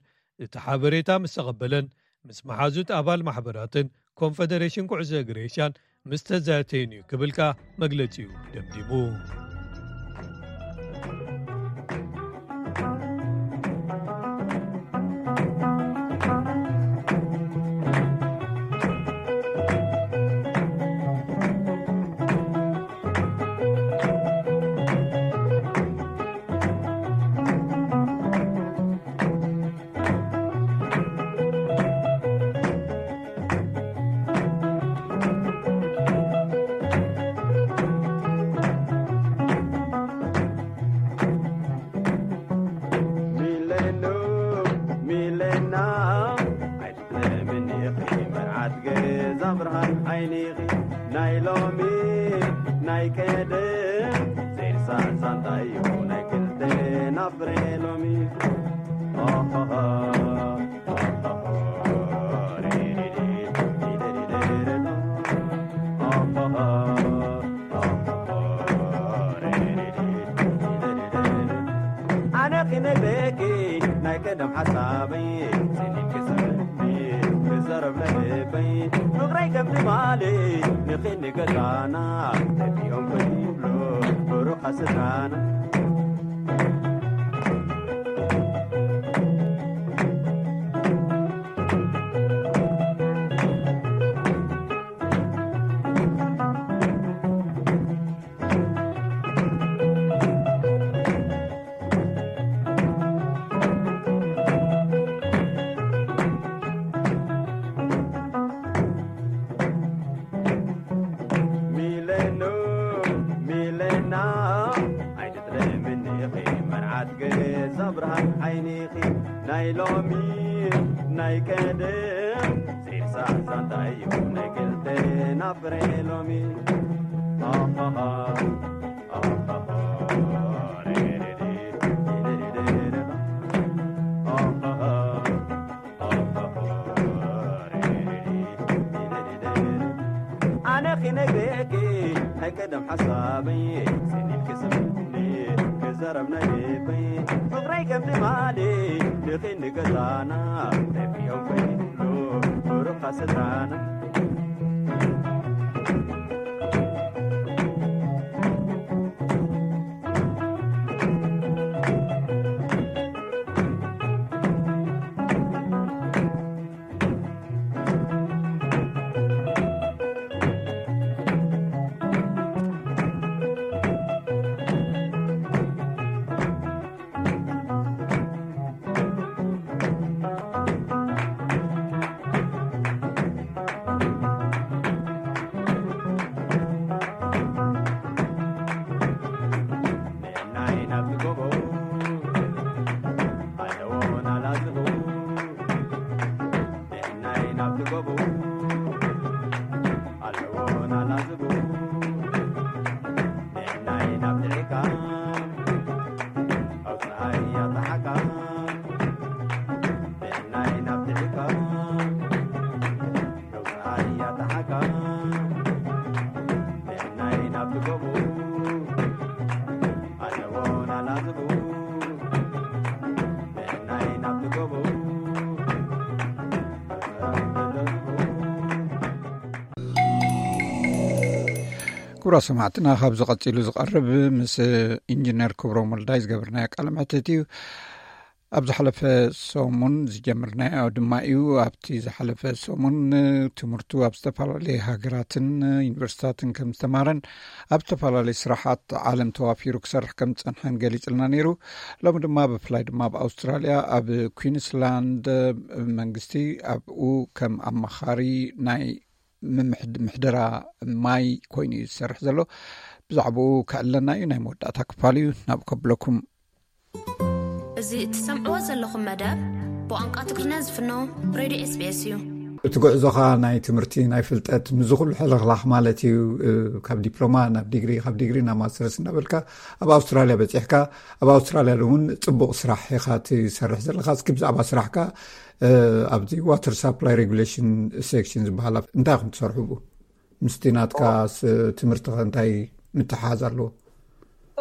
እቲ ሓበሬታ ምስ ተቐበለን ምስ መሓዙት ኣባል ማሕበራትን ኮንፈደሬሽን ኩዕሶ እግሪ ኤሽያን ምስ ተዛተየን እዩ ክብል ከኣ መግለጺኡ ደምዲሙ። ኣይትጥለምኒ ኢኺ መርዓት ገዛ ብርሃን ዓይኒ ኢኺ። ናይ ሎሚ ናይ ቀደም ዘይርሳዕ ዛንታ እዩ ናይ ክልቴና ፍረ ሎሚ። ኦሆሆ፣ ኦሆሆ፣ ሪሪሪ፣ ሪሪሪ፣ ኦሆሆ። ኣነ ክነግረኪ ናይ ቀደም ሓሳበይ፣ ስኒት ክስምኒ ክዛረብ ናይ ልበይ። ፍቕረይ ከም ትማሊ ንኺኒ ገዛና፣ ተቢኦም ከይብሉ ብሩኻ ስድራና። ሚለኑ፣ ሚለና፣ ኣይትጥለምኒ ኢኺ መርዓት ገዛ ብርሃን ዓይኒ ኢኺ። ናይ ሎሚ ናይ ቀደም ዘይርሳዕ ዛንታ እዩ ናይ ክልቴና ፍረ ሎሚ። ኣሃሃ፣ ኣሃሃ፣ ሪሪሪ፣ ሪሪሪ፣ ኣሃሃ፣ ኣሃሃ፣ ሪሪሪ፣ ሪሪሪ። ኣነ ክነግረኪ ናይ ቀደም ሓሳበይ፣ ሰኒት ክስምኒ ክዛረብ ናይ ልበይ። ፍቕረይ ከም ትማሊ ንኺኒ ገዛና፣ ተቢኦም ከይብሉ ብሩኻ ስድራና። ክቡራ ሰማዕትና፣ ካብዚ ቀጺሉ ዝቐርብ ምስ ኢንጂነር ክብሮም ወልዳይ ዝገበርናዮ ቃለ መሕትት እዩ። ኣብ ዝሓለፈ ሰሙን ዝጀመርናዮ ድማ እዩ። ኣብቲ ዝሓለፈ ሰሙን ትምህርቱ ኣብ ዝተፈላለየ ሃገራትን ዩኒቨርሲታትን ከም ዝተማረን ኣብ ዝተፈላለየ ስራሓት ዓለም ተዋፊሩ ክሰርሕ ከም ዝጸንሐን ገሊጽልና ነይሩ። ሎሚ ድማ ብፍላይ ድማ ኣብ ኣውስትራልያ ኣብ ኩዊንስላንድ መንግስቲ ኣብኡ ከም ኣማኻሪ ናይ ምምሕድ-፣ ምሕደራ ማይ ኮይኑ እዩ ዝሰርሕ ዘሎ። ብዛዕባኡ ከዕለና እዩ። ናይ መወዳእታ ክፋል እዩ። ናብ ከብለኩም። እዚ እትሰምዕዎ ዘለኹም መደብ ብቋንቋ ትግርኛ ዝፍኖ ሬድዮ ኤስ ቢ ኤስ እዩ። እቲ ጉዕዞኻ ናይ ትምህርቲ፣ ናይ ፍልጠት፣ ምስዚ ኩሉ ሕልኽላኽ ማለት እዩ፣ እ፣ ካብ ዲፕሎማ ናብ ዲግሪ፣ ካብ ዲግሪ ናብ ማስተርስ እናበልካ ኣብ ኣውስትራልያ በጺሕካ፣ ኣብ ኣውስትራልያ እውን ጽቡቕ ስራሕ ኢኻ ትሰርሕ ዘለኻ። እስኪ ብዛዕባ ስራሕካ፣ እ፣ ኣብዚ ዋተር ሳፕላይ ሬጉሌሽን ሴክሽን ዝበሃል እንታይ ኢኹም ትሰርሑ ብኡ? ምስቲ ናትካ ስ-፣ ትምህርቲ ከ እንታይ ምትሓዝ ኣለዎ?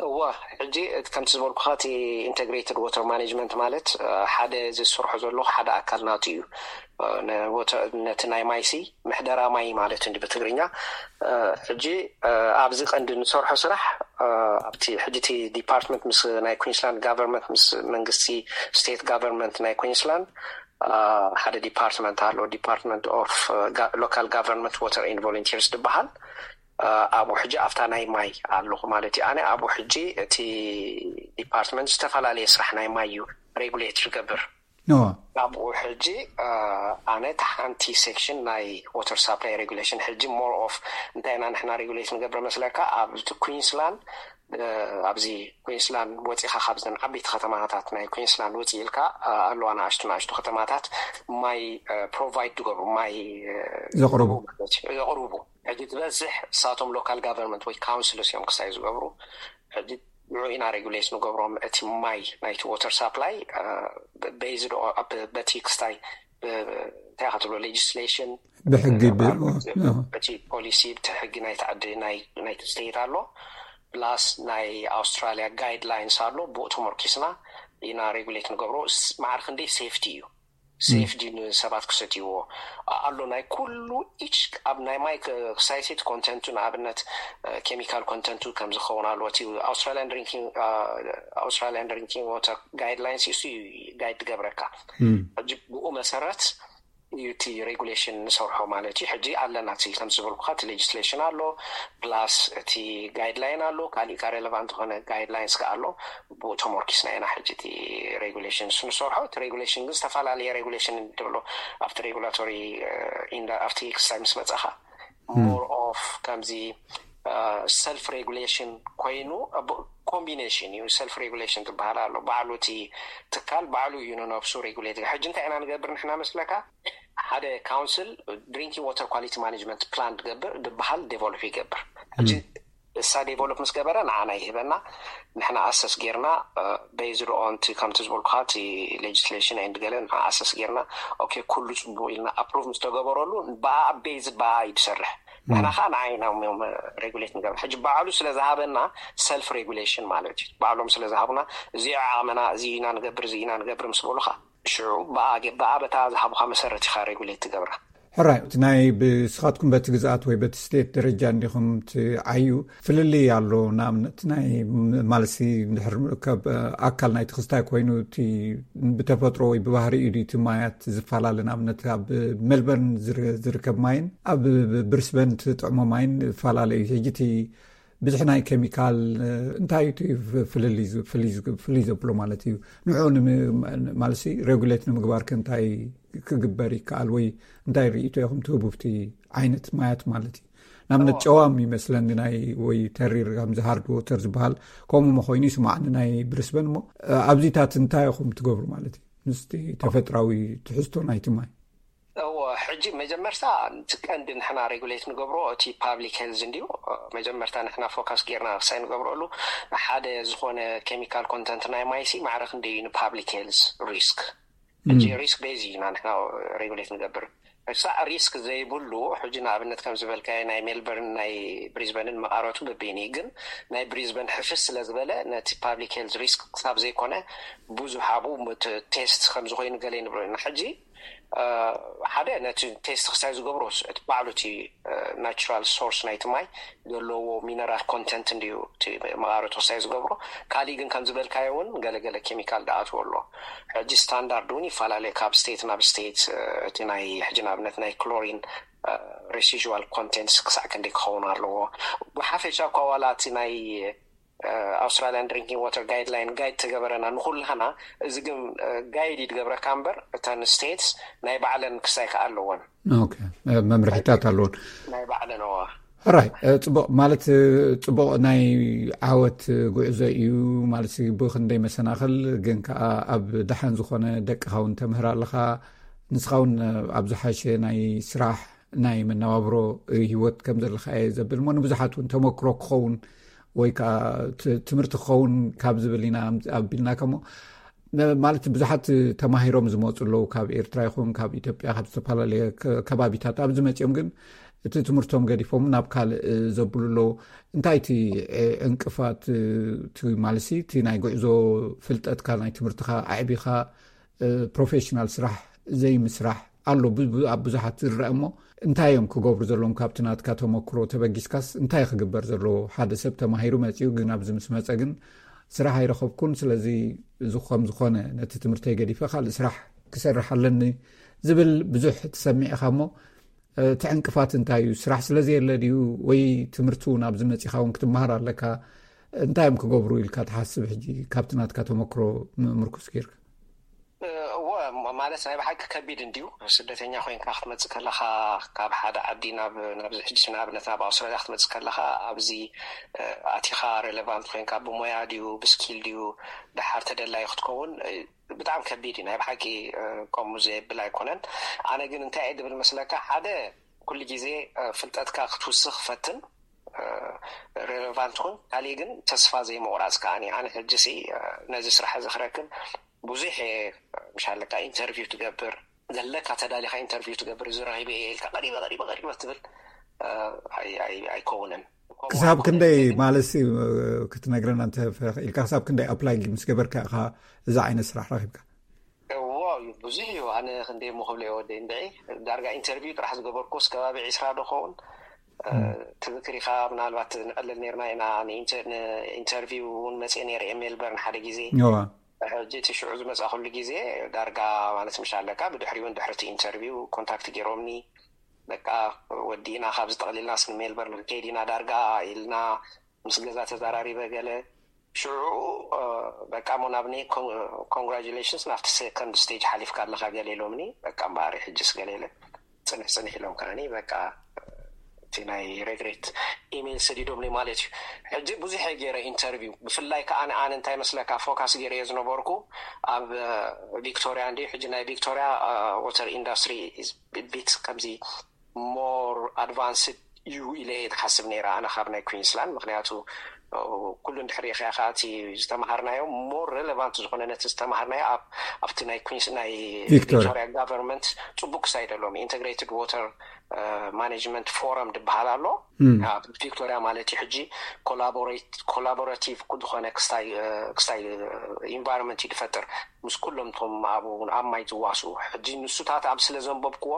እዋ፣ ሕጂ እቲ ከምቲ ዝበልኩኻ፣ እቲ ኢንተግሬትድ ዋተር ማኔጅመንት ማለት፣ እ፣ ሓደ ዝሰርሖ ዘለኹ ሓደ ኣካል ናቱ እዩ። እ፣ ነ-፣ ወተ-፣ ነቲ ናይ ማይሲ ምሕደራ ማይ ማለት እንዲ ብትግርኛ። እ፣ ሕጂ፣ እ፣ ኣብዚ ቀንዲ ንሰርሖ ስራሕ፣ እ፣ ኣብቲ ሕጂ እቲ ዲፓርትመንት ምስ ናይ ኩዊንስላንድ ጋቨርንመንት፣ ምስ መንግስቲ ስቴት ጋቨርንመንት ናይ ኩዊንስላንድ፣ እ፣ ሓደ ዲፓርትመንት ኣሎ፣ ዲፓርትመንት ኦፍ፣ እ፣ ጋ-፣ ሎካል ጋቨርንመንት ዋተር ኤንድ ቮለንቲርስ ዝበሃል። እ፣ ኣብኡ ሕጂ ኣብታ ናይ ማይ ኣለኹ ማለት እዩ። ኣነ ኣብኡ ሕጂ እቲ ዲፓርትመንት ዝተፈላለየ ስራሕ ናይ ማይ እዩ ሬጉሌት ዝገብር። ኖ። ኣብኡ ሕጂ፣ እ፣ ኣነ እቲ ሓንቲ ሴክሽን ናይ ዋተር ሳፕላይ ሬጉሌሽን፣ ሕጂ ሞር ኦፍ እንታይ ኢና ንሕና ሬጉሌት ንገብር መስለካ፣ ኣብ እቲ ኩዊንስላንድ ኣብዚ ኩንስላንድ ወፂኻ ካብዘን ዓበይቲ ከተማታት ናይ ኩንስላንድ ውፅእ ኢልካ ኣለዋ ንኣሽቱ ንኣሽቱ ከተማታት ማይ ፕሮቫይድ ዝገብሩ ማይ ዘቕርቡ ዘቕርቡ ሕጂ ዝበዝሕ እሳቶም ሎካል ጋቨርንመንት ወይ ካውንስልስ እዮም ክሳይ ዝገብሩ። ሕጂ ንዑ ኢና ሬጉሌት ንገብሮም እቲ ማይ ናይቲ ዎተር ሳፕላይ በይዝድ በቲ ክስታይ እንታይ ክትብሎ ሌጅስሌሽን ብሕጊ እቲ ፖሊሲ ብቲ ሕጊ ናይቲ ዓዲ ናይቲ ስቴት ኣሎ። ፕላስ ናይ ኣውስትራሊያ ጋይድላይንስ ኣሎ። ብኡ ተመርኪስና ኢና ሬጉሌት ንገብሮ። ማዕር ክንደይ ሴፍቲ እዩ ሴፍ ድዩ ንሰባት ክሰትይዎ ኣሎ። ናይ ኩሉ ኢች ኣብ ናይ ማይ ክሳይሲት ኮንተንቱ ንኣብነት ኬሚካል ኮንተንቱ ከም ዝኸውን ኣለዎ። እቲ ኣውስትራሊያን ድሪንኪንግ ወተር ጋይድላይንስ እሱ ጋይድ ትገብረካ። ሕጂ ብኡ መሰረት እዩ እቲ ሬጉሌሽን ንሰርሖ ማለት እዩ። ሕጂ ኣለና እቲ ከም ዝበልኩካ እቲ ሌጅስሌሽን ኣሎ ፕላስ እቲ ጋይድላይን ኣሎ ካሊእ ካ ሬሌቫንት ዝኾነ ጋይድላይንስ ከ ኣሎ። ብኡ ተመርኪስና ኢና ሕጂ እቲ ሬጉሌሽን ንሰርሖ። እቲ ሬጉሌሽን ግን ዝተፈላለየ ሬጉሌሽን ትብሎ ኣብቲ ሬጉላቶሪ ኣብቲ ክስታይ ምስ መፀኻ ሞር ኦፍ ከምዚ ሰልፍ ሬጉሌሽን ኮይኑ ኮምቢኔሽን እዩ። ሰልፍ ሬጉሌሽን ትበሃል ኣሎ። ባዕሉ እቲ ትካል ባዕሉ እዩ ንነብሱ ሬጉሌት። ሕጂ እንታይ ኢና ንገብር ንሕና መስለካ ሓደ ካውንስል ድሪንኪንግ ዋተር ኳሊቲ ማኔጅመንት ፕላን ትገብር ዝበሃል ዴቨሎፕ ይገብር። ሕጂ እሳ ዴቨሎፕ ምስ ገበረ ንዓና ይህበና። ንሕና ኣሰስ ጌርና ቤዝድ ኦን ከምቲ ዝበልኩካ እቲ ሌጅስሌሽን ኤንድ ገለ ንዓ ኣሰስ ጌርና ኦኬ ኩሉ ፅቡቅ ኢልና ኣፕሩቭ ምስ ተገበረሉ ብኣ ቤዝድ ብኣ እዩ ትሰርሕ። ንሕና ከዓ ንዓይና ሬጉሌት ንገብር። ሕጂ ባዕሉ ስለ ዝሃበና ሰልፍ ሬጉሌሽን ማለት እዩ። ባዕሎም ስለ ዝሃቡና እዚ ዓቕምና እዚ ኢና ንገብር እዚ ኢና ንገብር ምስ በሉካ ሽዑ ብኣ በታ ዝሃቡካ መሰረት ኢካ ሬጉሌት ትገብራ። ሕራይ እቲ ናይ ብስኻትኩም በቲ ግዝኣት ወይ በቲ ስቴት ደረጃ እንዲኹም ትዓዩ ፍልልይ ኣሎ። ንኣብነት ናይ ማልሲ ድሕር ካብ ኣካል ናይ ትኽስታይ ኮይኑ እቲ ብተፈጥሮ ወይ ብባህሪ እዩ እቲ ማያት ዝፈላለ። ንኣብነት ኣብ ሜልበርን ዝርከብ ማይን ኣብ ብርስበን ትጥዕሞ ማይን ይፈላለ እዩ። ሕጂ እቲ ብዝሒ ናይ ኬሚካል እንታይ እዩ ፍልልይ ዘብሎ ማለት እዩ? ንዑ ማለሲ ሬጉሌት ንምግባር ከ እንታይ ክግበር ይከኣል ወይ እንታይ ርእቶ ኢኹም ትህቡ ብቲ ዓይነት ማያት ማለት እዩ? ንኣብነት ጨዋም ይመስለኒ ናይ ወይ ተሪር ከምዚ ሃርድ ዎተር ዝበሃል ከምኡ መኮይኑ ይስማዕኒ ናይ ብሪስበን እሞ ኣብዚታት እንታይ ኢኹም ትገብሩ ማለት እዩ? ምስቲ ተፈጥራዊ ትሕዝቶ ናይቲ ማይ እዎ ሕጂ መጀመርታ እቲ ቀንዲ ንሕና ሬጉሌት ንገብሮ እቲ ፓብሊክ ሄልዝ እንድዩ። መጀመርታ ንሕና ፎካስ ጌርና ክሳይ ንገብረሉ ሓደ ዝኾነ ኬሚካል ኮንተንት ናይ ማይሲ ማዕረ ክንደይ እዩ ንፓብሊክ ሄልዝ ሪስክ። ሕጂ ሪስክ ቤዝ ኢና ንሕና ሬጉሌት ንገብር። እሳ ሪስክ ዘይብሉ ሕጂ ንኣብነት ከም ዝበልካዮ ናይ ሜልበርን ናይ ብሪዝበንን መቃረቱ በበይኒ ግን ናይ ብሪዝበን ሕፍስ ስለ ዝበለ ነቲ ፓብሊክ ሄልዝ ሪስክ ክሳብ ዘይኮነ ብዙሕ ኣብኡ ቴስት ከም ዝኾይኑ ገለ ንብሎ ኢና። ሕጂ ሓደ ነቲ ቴስት ክሳይ ዝገብሮ እቲ ባዕሉ እቲ ናቹራል ሶርስ ናይቲ ማይ ዘለዎ ሚነራል ኮንተንት እንድዩ እቲ መቃረቱ ክሳይ ዝገብሮ። ካሊእ ግን ከም ዝበልካዮ እውን ገለገለ ኬሚካል ደኣትዎ ኣሎ። ሕጂ ስታንዳርድ እውን ይፈላለዩ ካብ ስቴት ናብ ስቴት። እቲ ናይ ሕጂ ንኣብነት ናይ ክሎሪን ሬሲዋል ኮንቴንትስ ክሳዕ ክንደይ ክኸውን ኣለዎ። ብሓፈሻ እኳ ዋላ እቲ ናይ ኣውስትራሊያን ድሪንኪንግ ዋተር ጋይድላይን ጋይድ ተገበረና ንኩላህና። እዚ ግን ጋይድ ይትገብረካ እምበር እተን ስቴትስ ናይ ባዕለን ክሳይ ከዓ ኣለወን። መምርሒታት ኣለወን ናይ ባዕለን ዋ ሕራይ ጽቡቕ ማለት ጽቡቕ ናይ ዓወት ጉዕዞ እዩ። ማለት ብክንደይ መሰናኽል ግን ከዓ ኣብ ደሓን ዝኾነ ደቅኻ እውን ተምህር ኣለኻ። ንስኻ እውን ኣብ ዝሓሸ ናይ ስራሕ ናይ መነባብሮ ህይወት ከም ዘለኻ እየ ዘብል እሞ ንብዙሓት እውን ተመክሮ ክኸውን ወይ ከዓ ትምህርቲ ክኸውን ካብ ዝብል ኢና ኣቢልናካ እሞ ማለት ብዙሓት ተማሂሮም ዝመፁ ኣለዉ ካብ ኤርትራ ይኹን ካብ ኢትዮጵያ ካብ ዝተፈላለየ ከባቢታት ኣብዚ መፂኦም ግን እቲ ትምህርቶም ገዲፎም ናብ ካልእ ዘብሉ ኣለዉ። እንታይ እቲ ዕንቅፋት ማለት እቲ ናይ ጉዕዞ ፍልጠትካ ናይ ትምህርትካ ኣዕቢኻ ፕሮፌሽናል ስራሕ ዘይምስራሕ ኣሎ ኣብ ብዙሓት ዝረአ እሞ እንታይ እዮም ክገብሩ ዘለዎም? ካብቲ ናትካ ተመክሮ ተበጊስካስ እንታይ ክግበር ዘለዎ? ሓደ ሰብ ተማሂሩ መፂኡ ግን ኣብዚ ምስ መፀ ግን ስራሕ ኣይረኸብኩን፣ ስለዚ እዚ ከም ዝኾነ ነቲ ትምህርተይ ገዲፈ ካልእ ስራሕ ክሰርሕ ኣለኒ ዝብል ብዙሕ ትሰሚዕ ኢኻ እሞ እቲ ዕንቅፋት እንታይ እዩ? ስራሕ ስለ ዘየለ ድዩ ወይ ትምህርቲ እውን ኣብዚ መፂኻ እውን ክትመሃር ኣለካ? እንታይ እዮም ክገብሩ ኢልካ ትሓስብ? ሕጂ ካብቲ ናትካ ተመክሮ ምርኩስ ጌርካ እወ፣ ማ- ማለት ናይ ብሓቂ ከቢድ እንድዩ። ስደተኛ ኮይንካ ክትመጽእ ከለኻ፣ ካብ ሓደ ዓዲ ናብ ናብዚ፣ ሕጂ ንኣብነት ናብ ኣውስትራልያ ክትመጽእ ከለኻ፣ ኣብዚ እ፣ ኣቲኻ ሬሌቫንት ኮይንካ፣ ብሞያ ድዩ ብስኪል ድዩ ደሓር ተደላዩ ክትከውን፣ እ፣ ብጣዕሚ ከቢድ እዩ። ናይ ብሓቂ እ፣ ከምኡ ዘየብል ኣይኮነን። ኣነ ግን እንታይ እየ ድብል መስለካ፣ ሓደ፣ ኩሉ ግዜ እ፣ ፍልጠትካ ክትውስኽ ፈትን፣ ሬሌቫንት ኩን። ካሊእ ግን ተስፋ ዘይምቑራፅ ከዓኒ። ኣነ ሕጂ ሲ ነዚ ስራሕ እዚ ክረክብ ብዙሕ እየ፣ ምሻለካ ኢንተርቪው ትገብር ዘለካ፣ ተዳሊኻ ኢንተርቪው ትገብር፣ እዚ ረኺበ እየ ኢልካ ቀሪበ ቀሪበ ቀሪበ ትብል ኣይከውንን። ክሳብ ክንደይ ማለት ክትነግረና እንተፈኢልካ፣ ክሳብ ክንደይ ኣፕላይ ምስ ገበርካ ኢኻ እዚ ዓይነት ስራሕ ረኺብካ? እዎ፣ ብዙሕ እዩ። ኣነ ክንደይ ሞ ክብሎ እየ ወደይ እንድዒ፣ ዳርጋ ኢንተርቪው ጥራሕ ዝገበርኩስ ከባቢ ዒስራ ዶ ኸውን። ትዝክር ኢኻ፣ ምናልባት ንዕልል ነርና ኢና፣ ንኢንተርቪው እውን መፅእ ነይረ እየ ሜልበርን ሓደ ግዜ። ሕጂ እቲ ሽዑ ዝመፃ ኩሉ ግዜ ዳርጋ ማለት ምሻ ኣለካ፣ ብድሕሪ እውን ድሕርቲ ኢንተርቪው ኮንታክት ገይሮምኒ። በቃ ወዲእና ካብዚ ጠቕሊልና ስኒ ሜልበርን ክንከይድ ኢና ዳርጋ ኢልና፣ ምስ ገዛ ተዛራሪበ ገለ። ሽዑ በቃ ሞ ናብኒ ኮንግራጁሌሽንስ ናብቲ ሰከንድ ስቴጅ ሓሊፍካ ኣለካ ገለ ኢሎምኒ። በቃ እምበኣር ሕጅስ ገለ ኢለ ፅንሕ ፅንሕ ኢሎም ከዓኒ በቃ እቲ ናይ ሬግሬት ኢሜይል ሰዲዶምኒ ማለት እዩ። ሕጂ ብዙሕ እየ ገይረ ኢንተርቪው፣ ብፍላይ ከዓ ኣነ እንታይ መስለካ ፎካስ ገይረ እየ ዝነበርኩ ኣብ ቪክቶሪያ እንዲ። ሕጂ ናይ ቪክቶሪያ ወተር ኢንዳስትሪ ቢት ከምዚ ሞር ኣድቫንስድ እዩ ኢለ እየ ዝሓስብ ነይረ ኣነ ካብ ናይ ኩንስላንድ። ምክንያቱ ኩሉ እንድሕር ሪኢኻዮ ከዓ እቲ ዝተምሃርናዮ ሞር ሬሌቫንት ዝኾነ ነቲ ዝተምሃርናዮ ኣብቲ ናይ ኩንስ ናይ ቪክቶሪያ ጋቨርንመንት ፅቡቅ ክሳይደሎም ኢንተግሬትድ ዎተር ማኔጅመንት ፎረም ዝበሃል ኣሎ ኣብ ቪክቶሪያ ማለት እዩ። ሕጂ ኮላቦሬቲቭ ዝኾነ ክስታይ ኢንቫይሮንመንት እዩ ዝፈጥር ምስ ኩሎም ቶም ኣብ ኣብ ማይ ዝዋስኡ። ሕጂ ንሱታት ኣብ ስለ ዘንበብክዎ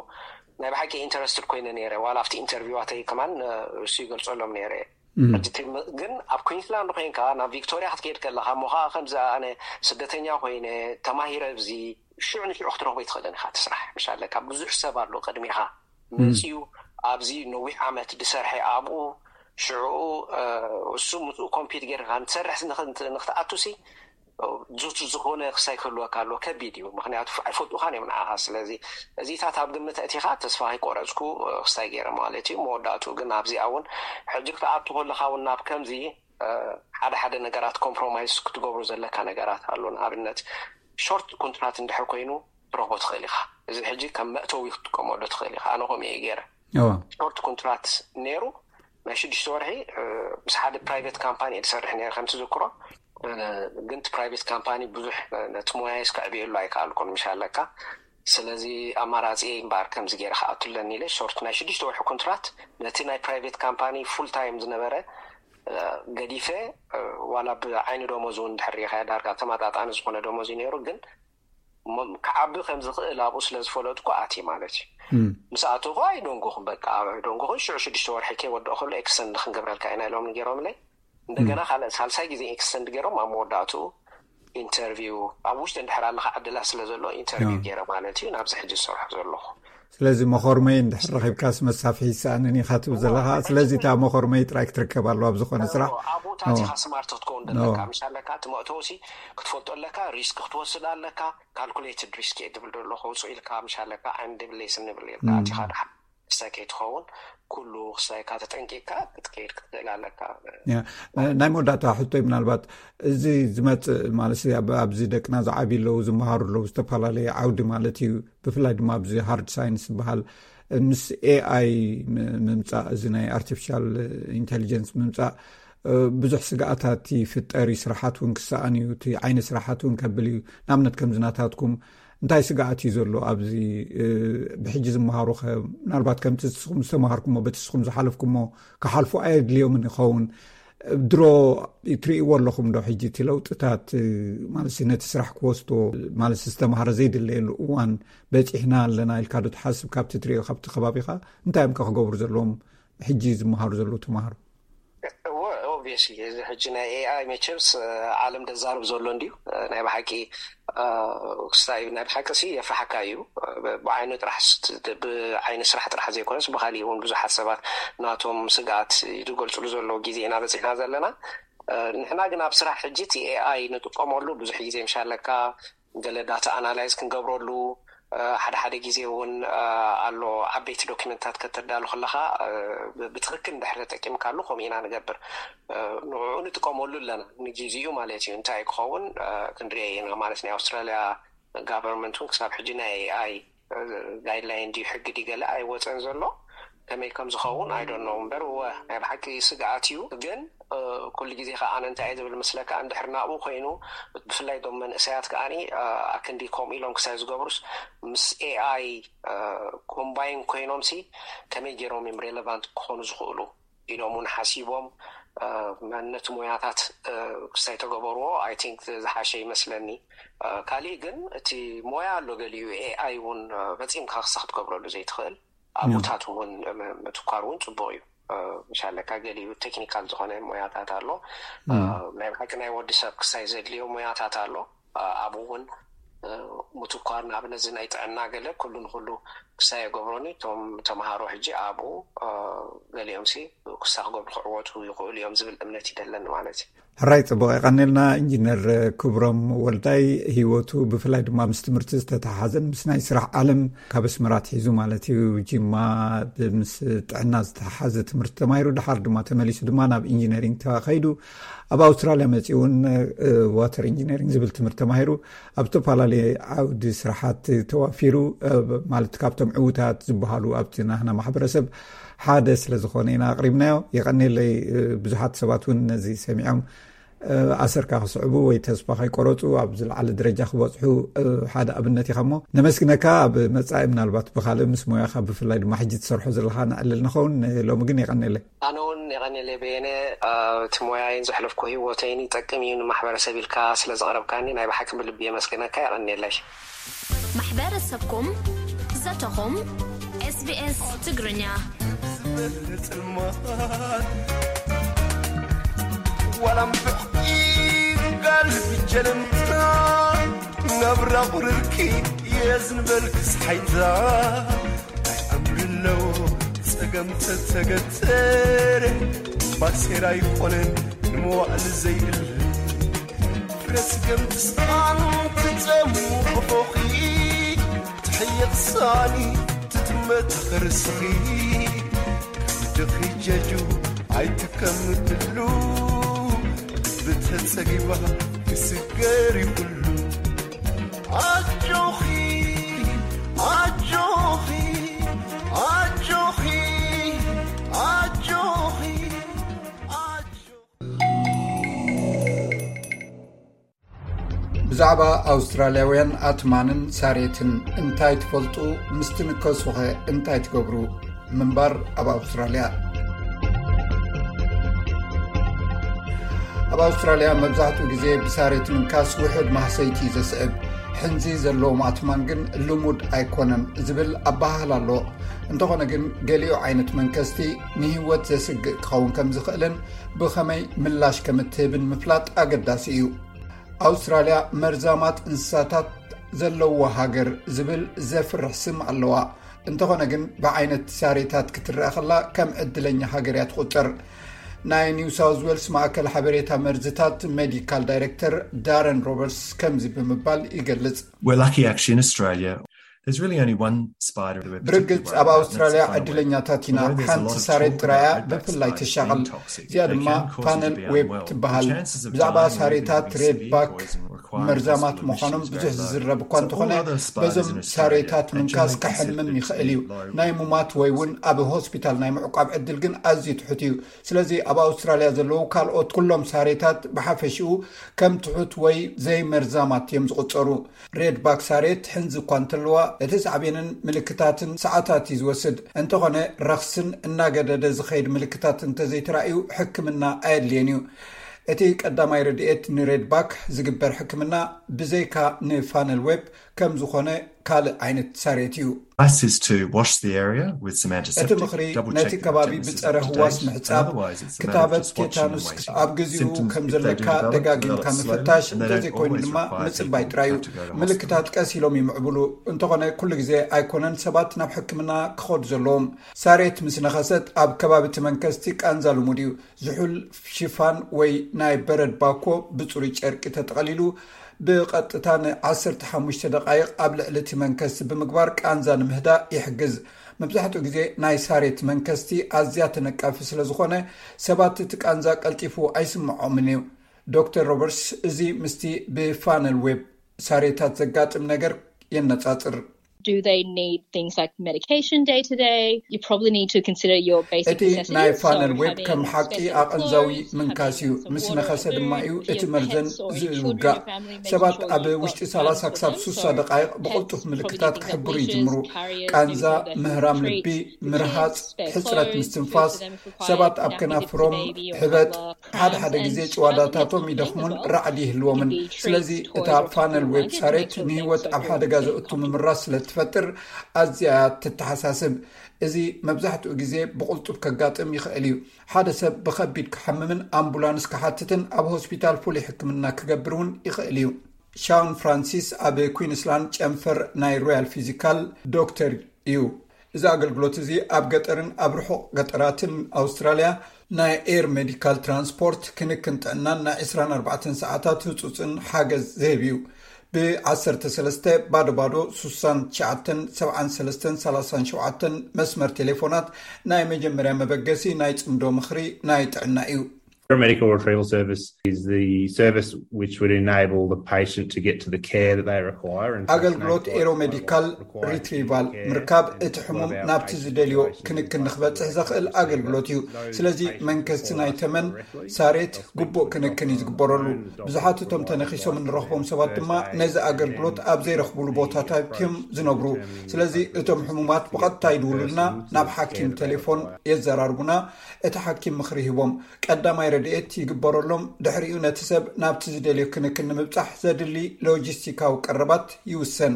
ናይ ብሓቂ ኢንተረስትድ ኮይነ ነይረ። ዋላ ኣብቲ ኢንተርቪዋተይ ከማን እሱ ይገልፀሎም ነይረ። ግን ኣብ ኩንስላንድ ኮይንካ ናብ ቪክቶሪያ ክትከይድ ከለካ እሞ ከዓ ከምዚ ኣነ ስደተኛ ኮይነ ተማሂረ ኣብዚ ሽዑ ንሽዑ ክትረክቦ ይትኽእልን ኢካ እቲ ስራሕ። ምሻለ ካብ ብዙሕ ሰብ ኣሎ ቅድሚካ መፅዩ ኣብዚ ነዊሕ ዓመት ዝሰርሐ ኣብኡ ሽዑ እሱ ምስኡ ኮምፒት ጌርካ ንትሰርሕ ንክትኣቱ ሲ ዙት ዝኾነ ክሳይ ክህልወካ ኣለዎ። ከቢድ እዩ። ምክንያቱ ኣይፈልጡኻን እዮም ንዓኻ። ስለዚ እዚታት ኣብ ግምት እቲኻ ተስፋ ከይቆረፅኩ ክሳይ ገይረ ማለት እዩ። መወዳእትኡ ግን ኣብዚኣ እውን ሕጂ ክትኣቱ ከለካ እውን ናብ ከምዚ ሓደ ሓደ ነገራት ኮምፕሮማይዝ ክትገብሩ ዘለካ ነገራት ኣሎ። ንኣብነት ሾርት ኮንትራት እንድሕር ኮይኑ ትረኽቦ ትኽእል ኢኻ። እዚ ሕጂ ከም መእተዊ ክትጥቀመሉ ትኽእል ኢኻ። ኣነ ከምኡ እየ ገይረ። ሾርት ኮንትራት ነይሩ ናይ ሽዱሽተ ወርሒ ምስ ሓደ ፕራይቬት ካምፓኒ እየ ዝሰርሕ ነይረ ከም ትዝክሮ። ግን እቲ ፕራይቬት ካምፓኒ ብዙሕ ነቲ ሞያይስ ከዕብየሉ ኣይከኣልኩን ምሽ ኣለካ። ስለዚ ኣማራፂ እምበኣር ከምዚ ገይረ ክኣቱ ኣለኒ ኢለ ሾርት ናይ ሽዱሽተ ወርሒ ኮንትራት ነቲ ናይ ፕራይቬት ካምፓኒ ፉል ታይም ዝነበረ ገዲፈ ዋላ ብዓይኒ ደሞዝ እውን ድሕር ሪኢኻዮ ዳርጋ ተመጣጣኒ ዝኾነ ደሞዝ እዩ ነይሩ። ግን ክዓቢ ከም ዝኽእል ኣብኡ ስለ ዝፈለጥኩ ኣትየ ማለት እዩ። ምስ ኣተኹ ኣይደንጎኹን፣ በቃ ኣይደንጎኹን። ሽዑ ሽዱሽተ ወርሒ ከይወድኦ ከሎ ኤክስተንድ ክንገብረልካ ኢና ኢሎም ገይሮምለይ። እንደገና ካልእ ሳልሳይ ግዜ ኤክስተንድ ገይሮም ኣብ መወዳእትኡ ኢንተርቪው ኣብ ውሽጢ እንድሕር ኣለካ ዕድላት ስለ ዘሎ ኢንተርቪው ገይረ ማለት እዩ ናብዚ ሕጂ ዝሰርሖ ዘለኹ። ስለዚ መኾርመይ እንድሕር ረኺብካስ መሳፍሒ ይሰኣንን ኢኻ ትብል ዘለኻ። ስለዚ እታ መኾርመይ ጥራይ ክትርከብ ኣለዋ ኣብ ዝኾነ ስራሕ። ኣብኡ ታቲኻ ስማርት ክትከውን ዘለካ ምሽ ኣለካ። እቲ መእተውሲ ክትፈልጦ ኣለካ። ሪስክ ክትወስድ ኣለካ። ካልኩሌትድ ሪስክ እየ ድብል ዘለኹ። ውፁ ኢልካ ምሽ ኣለካ ዓይኒ ድብለይ ስኒ ድብል ኢልካ ኣቲኻ ድሓ ክሳይ ከይትኸውን ኩሉ ክሳይካ ተጠንቂቅካ ክትከይድ ክትክእል ኣለካ። ናይ መወዳእታ ሕቶይ ምናልባት እዚ ዝመፅእ ማለት ኣብዚ ደቅና ዝዓብዩ ኣለዉ፣ ዝመሃሩ ኣለዉ፣ ዝተፈላለየ ዓውዲ ማለት እዩ። ብፍላይ ድማ ኣብዚ ሃርድ ሳይንስ ዝበሃል ምስ ኤኣይ ምምፃእ፣ እዚ ናይ ኣርቲፊሻል ኢንቴሊጀንስ ምምፃእ ብዙሕ ስግኣታት ይፍጠር እዩ። ስራሓት እውን ክሰኣን እዩ፣ እቲ ዓይኒ ስራሓት እውን ከብል እዩ። ንኣብነት ከምዚ ናታትኩም እንታይ ስግኣት እዩ ዘሎ ኣብዚ ብሕጂ ዝመሃሩ ከ? ምናልባት ከምቲ ንስኹም ዝተምሃርኩሞ በቲ ንስኹም ዝሓለፍኩሞ ክሓልፉ ኣየድልዮምን ይኸውን? ድሮ ትርእይዎ ኣለኹም ዶ ሕጂ እቲ ለውጥታት ማለት ነቲ ስራሕ ክወስዶ ማለት ዝተምሃረ ዘይድለየሉ እዋን በፂሕና ኣለና ኢልካ ዶ ትሓስብ? ካብቲ ትርእዮ ካብቲ ከባቢኻ እንታይ እዮም ከ ክገብሩ ዘለዎም ሕጂ ዝመሃሩ ዘለዉ ተምሃሮ? እወ ኦብቪየስሊ እዚ ሕጂ ናይ ኤኣይ መቸምስ ዓለም ደዛርብ ዘሎ እንድዩ። ናይ ብሓቂ ክስታይ ናይ ብሓቂ ሲ የፍርሓካ እዩ። ብዓይኑ ጥራሕ ብዓይኒ ስራሕ ጥራሕ ዘይኮነስ ብካሊእ እውን ብዙሓት ሰባት ናቶም ስግኣት ዝገልፅሉ ዘለዉ ግዜ ኢና በፂሕና ዘለና። ንሕና ግን ኣብ ስራሕ ሕጂ እቲ ኤኣይ ንጥቀመሉ ብዙሕ ግዜ ምሻለካ ገለ ዳታ ኣናላይዝ ክንገብረሉ፣ ሓደ ሓደ ግዜ እውን ኣሎ ዓበይቲ ዶኪመንታት ከተዳሉ ከለካ ብትክክል እንድሕር ተጠቂምካሉ ከምኡ ኢና ንገብር። ንዕኡ ንጥቀመሉ ኣለና ንግዜኡ ማለት እዩ። እንታይ ክኸውን ክንሪኦ ኢና ማለት ናይ ኣውስትራሊያ ጋቨርንመንት እውን ክሳብ ሕጂ ናይ ኤኣይ ጋይድላይን ድዩ ሕጊ ድዩ ገለ ኣይወፀን ዘሎ። ከመይ ከም ዝኸውን ኣይዶኖ እምበር እወ ናይ ብሓቂ ስግኣት እዩ። ግን ኩሉ ግዜ ከዓ ኣነ እንታይ እየ ዝብል ምስለካ እንድሕር ናብኡ ኮይኑ ብፍላይ ዶም መንእሰያት ከዓኒ ኣክንዲ ከምኡ ኢሎም ክሳይ ዝገብሩስ ምስ ኤኣይ ኮምባይን ኮይኖም ሲ ከመይ ገይሮም እዮም ሬሌቫንት ክኾኑ ዝኽእሉ ኢሎም እውን ሓሲቦም ነቲ ሞያታት ክሳይ ተገበርዎ ኣይ ቲንክ ዝሓሸ ይመስለኒ። ካሊእ ግን እቲ ሞያ ኣሎ ገሊኡ ኤኣይ እውን ፈፂምካ ክሳ ክትገብረሉ ዘይትኽእል ኣብታት እውን ምትኳር እውን ፅቡቅ እዩ። ምሻለካ ገሊኡ ቴክኒካል ዝኾነ ሞያታት ኣሎ። ናይ ብሓቂ ናይ ወዲ ሰብ ክሳይ ዘድልዮ ሞያታት ኣሎ። ኣብኡ እውን ምትኳር ንኣብነት እዚ ናይ ጥዕና ገለ ኩሉ ንኩሉ ክሳይ የገብሮኒ እቶም ተምሃሮ ሕጂ ኣብኡ ገሊኦም ሲ ክሳ ክገብሩ ክዕወቱ ይኽእሉ እዮም ዝብል እምነት ይደለኒ ማለት እዩ። ሕራይ ጽቡቕ የቐንልና ኢንጂነር ክብሮም ወልዳይ። ህይወቱ ብፍላይ ድማ ምስ ትምህርቲ ዝተተሓሓዘን ምስ ናይ ስራሕ ዓለም ካብ ኣስመራ ኣትሒዙ ማለት እዩ ጅማ ምስ ጥዕና ዝተተሓሓዘ ትምህርቲ ተማሂሩ ድሓር ድማ ተመሊሱ ድማ ናብ ኢንጂነሪንግ ተኸይዱ ኣብ ኣውስትራልያ መፂኡ እውን ዋተር ኢንጂነሪንግ ዝብል ትምህርቲ ተማሂሩ ኣብ ዝተፈላለየ ዓውዲ ስራሓት ተዋፊሩ ማለት ካብቶም ዕውታት ዝበሃሉ ኣብቲ ናህና ማሕበረሰብ ሓደ ስለ ዝኾነ ኢና ኣቕሪብናዮ። የቐኔለይ ብዙሓት ሰባት እውን ነዚ ሰሚዖም ኣሰርካ ክስዕቡ ወይ ተስፋ ከይቆረፁ ኣብ ዝለዓለ ደረጃ ክበፅሑ ሓደ ኣብነት ኢኻ እሞ ነመስግነካ። ኣብ መፃኢ ምናልባት ብካልእ ምስ ሞያኻ ብፍላይ ድማ ሕጂ ትሰርሖ ዘለካ ንዕልል ንኸውን። ሎሚ ግን የቐኔለይ። ኣነ እውን የቐኔለይ በየነ። እቲ ሞያይን ዘሕለፍኩ ህይወተይን ይጠቅም እዩ ንማሕበረሰብ ኢልካ ስለ ዘቕረብካኒ ናይ ብሓቂ ብልቢ የመስግነካ። የቐኔለይ። ማሕበረሰብኩም ዘተኹም ኤስቢኤስ ትግርኛ። ዋላ ምብዕቂ ጋል ብጀለምታ ናብራ ቁርርኪ የዝንበል ክስሓይታ ኣይኣምርለዎ ጸገም ተተገተረ ባሴራ ይኮነን ንመዋእል ዘይእል ፍረስገም ትስኣን ትጸሙ ቆፎኺ ትሕየቕ ሳኒ ትጥመት ኸርስኺ ክብድኺ ጀጁ ኣይትከምትሉ ብተጸጊባ ክስገር ይብሉ ኣጆኺ ኣጆኺ ኣጆኺ ኣጆኺ ኣጆኺ ብዛዕባ ኣውስትራልያውያን ኣትማንን ሳሬትን እንታይ ትፈልጡ? ምስ ትንከሱኸ እንታይ ትገብሩ? ምንባር ኣብ ኣውስትራልያ። ኣብ ኣውስትራልያ መብዛሕትኡ ግዜ ብሳሬት ምንካስ ውሑድ ማህሰይቲ እዩ ዘስዕብ። ሕንዚ ዘለዎም ኣትማን ግን ልሙድ ኣይኮነን ዝብል ኣበሃህላ ኣሎ። እንተኾነ ግን ገሊኡ ዓይነት መንከስቲ ንህይወት ዘስግእ ክኸውን ከም ዝኽእልን ብኸመይ ምላሽ ከም እትህብን ምፍላጥ ኣገዳሲ እዩ። ኣውስትራልያ መርዛማት እንስሳታት ዘለዎ ሃገር ዝብል ዘፍርሕ ስም ኣለዋ። እንተኾነ ግን ብዓይነት ሳሬታት ክትረአ ከላ ከም ዕድለኛ ሃገር እያ ትቑጸር። ናይ ኒው ሳውዝ ዌልስ ማእከል ሓበሬታ መርዝታት ሜዲካል ዳይሬክተር ዳረን ሮበርትስ ከምዚ ብምባል ይገልጽ። We're lucky actually in Australia. There's really only one spider we're ብርግጽ ኣብ ኣውስትራልያ ዕድለኛታት ኢና። ሓንቲ ሳሬት ጥራያ ብፍላይ ትሻቐል። እዚኣ ድማ ፓነል ዌብ ትበሃል። ብዛዕባ ሳሬታት ሬድ ባክ መርዛማት ምዃኖም ብዙሕ ዝዝረብ እኳ እንተኾነ በዞም ሳሬታት ምንካስ ከሕምም ይኽእል እዩ። ናይ ሙማት ወይ እውን ኣብ ሆስፒታል ናይ ምዕቋብ ዕድል ግን ኣዝዩ ትሑት እዩ። ስለዚ ኣብ ኣውስትራልያ ዘለዉ ካልኦት ኩሎም ሳሬታት ብሓፈሽኡ ከም ትሑት ወይ ዘይመርዛማት እዮም ዝቑጸሩ። ሬድ ባክ ሳሬት ሕንዚ እኳ እንተለዋ እቲ ሳዕቤንን ምልክታትን ሰዓታት እዩ ዝወስድ። እንተኾነ ረኽስን እናገደደ ዝኸይድ ምልክታት እንተዘይተራእዩ ሕክምና ኣየድልየን እዩ። እቲ ቀዳማይ ረድኤት ንሬድ ባክ ዝግበር ሕክምና ብዘይካ ንፋነል ዌብ ከም ዝኾነ ካልእ ዓይነት ሳሬት እዩ። Advice is to wash the area with some እቲ antiseptic, ምኽሪ double ነቲ check the ከባቢ tetanus is ብጸረ up to ህዋስ date, ምሕጻብ፣ otherwise it's a matter of ክታበት just watching and ቴታኑስ waiting. ኣብ ግዜኡ Symptoms, ከም if they ዘለካ do develop, ደጋጊምካ develop ምፍታሽ፣ slowly, and they don't እንተዘይኮይኑ always ድማ require ምጽባይ treatment. ጥራይ እዩ። Have to go to hospital. ምልክታት ቀስ ኢሎም ይምዕብሉ። እንተኾነ ኩሉ ግዜ ኣይኮነን ሰባት ናብ ሕክምና ክኸዱ ዘለዎም። ሳሬት ምስ ነኸሰት ኣብ ከባቢ እቲ መንከስቲ ቃንዛ ልሙድ እዩ። ዝሑል ሽፋን ወይ ናይ በረድ ባኮ ብጽሩይ ጨርቂ ተጠቐሊሉ ብቐጥታ ን15 ደቓይቕ ኣብ ልዕሊ እቲ መንከስቲ ብምግባር ቃንዛ ንምህዳእ ይሕግዝ። መብዛሕትኡ ግዜ ናይ ሳሬት መንከስቲ ኣዝያ ተነቃፊ ስለ ዝኾነ፣ ሰባት እቲ ቃንዛ ቀልጢፉ ኣይስምዖምን እዩ። ዶክተር ሮበርትስ እዚ ምስቲ ብፋነል ዌብ ሳሬታት ዘጋጥም ነገር የነጻጽር። Do they need things like medication day to day? You probably need to consider your basic እቲ ናይ ፋነል ዌብ ከም ሓቂ ኣቐንዛዊ ምንካስ እዩ። ምስ ነኸሰ ድማ እዩ እቲ መርዘን ዝውጋእ። ሰባት ኣብ ውሽጢ 30 ክሳብ 60 ደቃይቕ ብቕልጡፍ ምልክታት ክሕብሩ ይጅምሩ። ቃንዛ፣ ምህራም ልቢ፣ ምርሃፅ፣ ሕፅረት ምስትንፋስ፣ ሰባት ኣብ ከናፍሮም ሕበጥ፣ ሓደ ሓደ ግዜ ጭዋዳታቶም ይደኽሙን ራዕዲ ይህልዎምን። ስለዚ እታ ፋነል ዌብ ሳሬት ንህይወት ኣብ ሓደጋ ዘእቱ ምምራስ ስለ ትፈጥር ኣዝያ ትተሓሳስብ። እዚ መብዛሕትኡ ግዜ ብቕልጡፍ ከጋጥም ይኽእል እዩ። ሓደ ሰብ ብኸቢድ ክሓምምን ኣምቡላንስ ክሓትትን ኣብ ሆስፒታል ፍሉይ ሕክምና ክገብር እውን ይኽእል እዩ። ሻውን ፍራንሲስ ኣብ ኩዊንስላንድ ጨንፈር ናይ ሮያል ፊዚካል ዶክተር እዩ። እዚ ኣገልግሎት እዚ ኣብ ገጠርን ኣብ ርሑቕ ገጠራትን ኣውስትራልያ ናይ ኤር ሜዲካል ትራንስፖርት፣ ክንክን ጥዕናን ናይ 24 ሰዓታት ህጹጽን ሓገዝ ዝህብ እዩ። ብ13 ባዶ ባዶ 69 73 37 መስመር ቴሌፎናት ናይ መጀመርያ መበገሲ ናይ ጽምዶ ምኽሪ ናይ ጥዕና እዩ። Paramedical retrieval service is the service which would enable the patient to get to the care that they require. ኣገልግሎት ኤሮሜዲካል ሪትሪቫል ምርካብ እቲ ሕሙም ናብቲ ዝደልዮ ክንክን ንክበፅሕ ዘኽእል ኣገልግሎት እዩ። ስለዚ መንከስቲ ናይ ተመን ሳሬት ግቡእ ክንክን እዩ ዝግበረሉ። ብዙሓት እቶም ተነኺሶም እንረኽቦም ሰባት ድማ ነዚ ኣገልግሎት ኣብ ዘይረኽብሉ ቦታታት እዮም ዝነብሩ። ስለዚ እቶም ሕሙማት ብቐጥታ ይድውሉልና፣ ናብ ሓኪም ቴሌፎን የዘራርቡና፣ እቲ ሓኪም ምኽሪ ሂቦም ቀዳማይ ረድኤት ይግበረሎም። ድሕሪኡ ነቲ ሰብ ናብቲ ዝደልዮ ክንክን ንምብጻሕ ዘድሊ ሎጂስቲካዊ ቀረባት ይውሰን።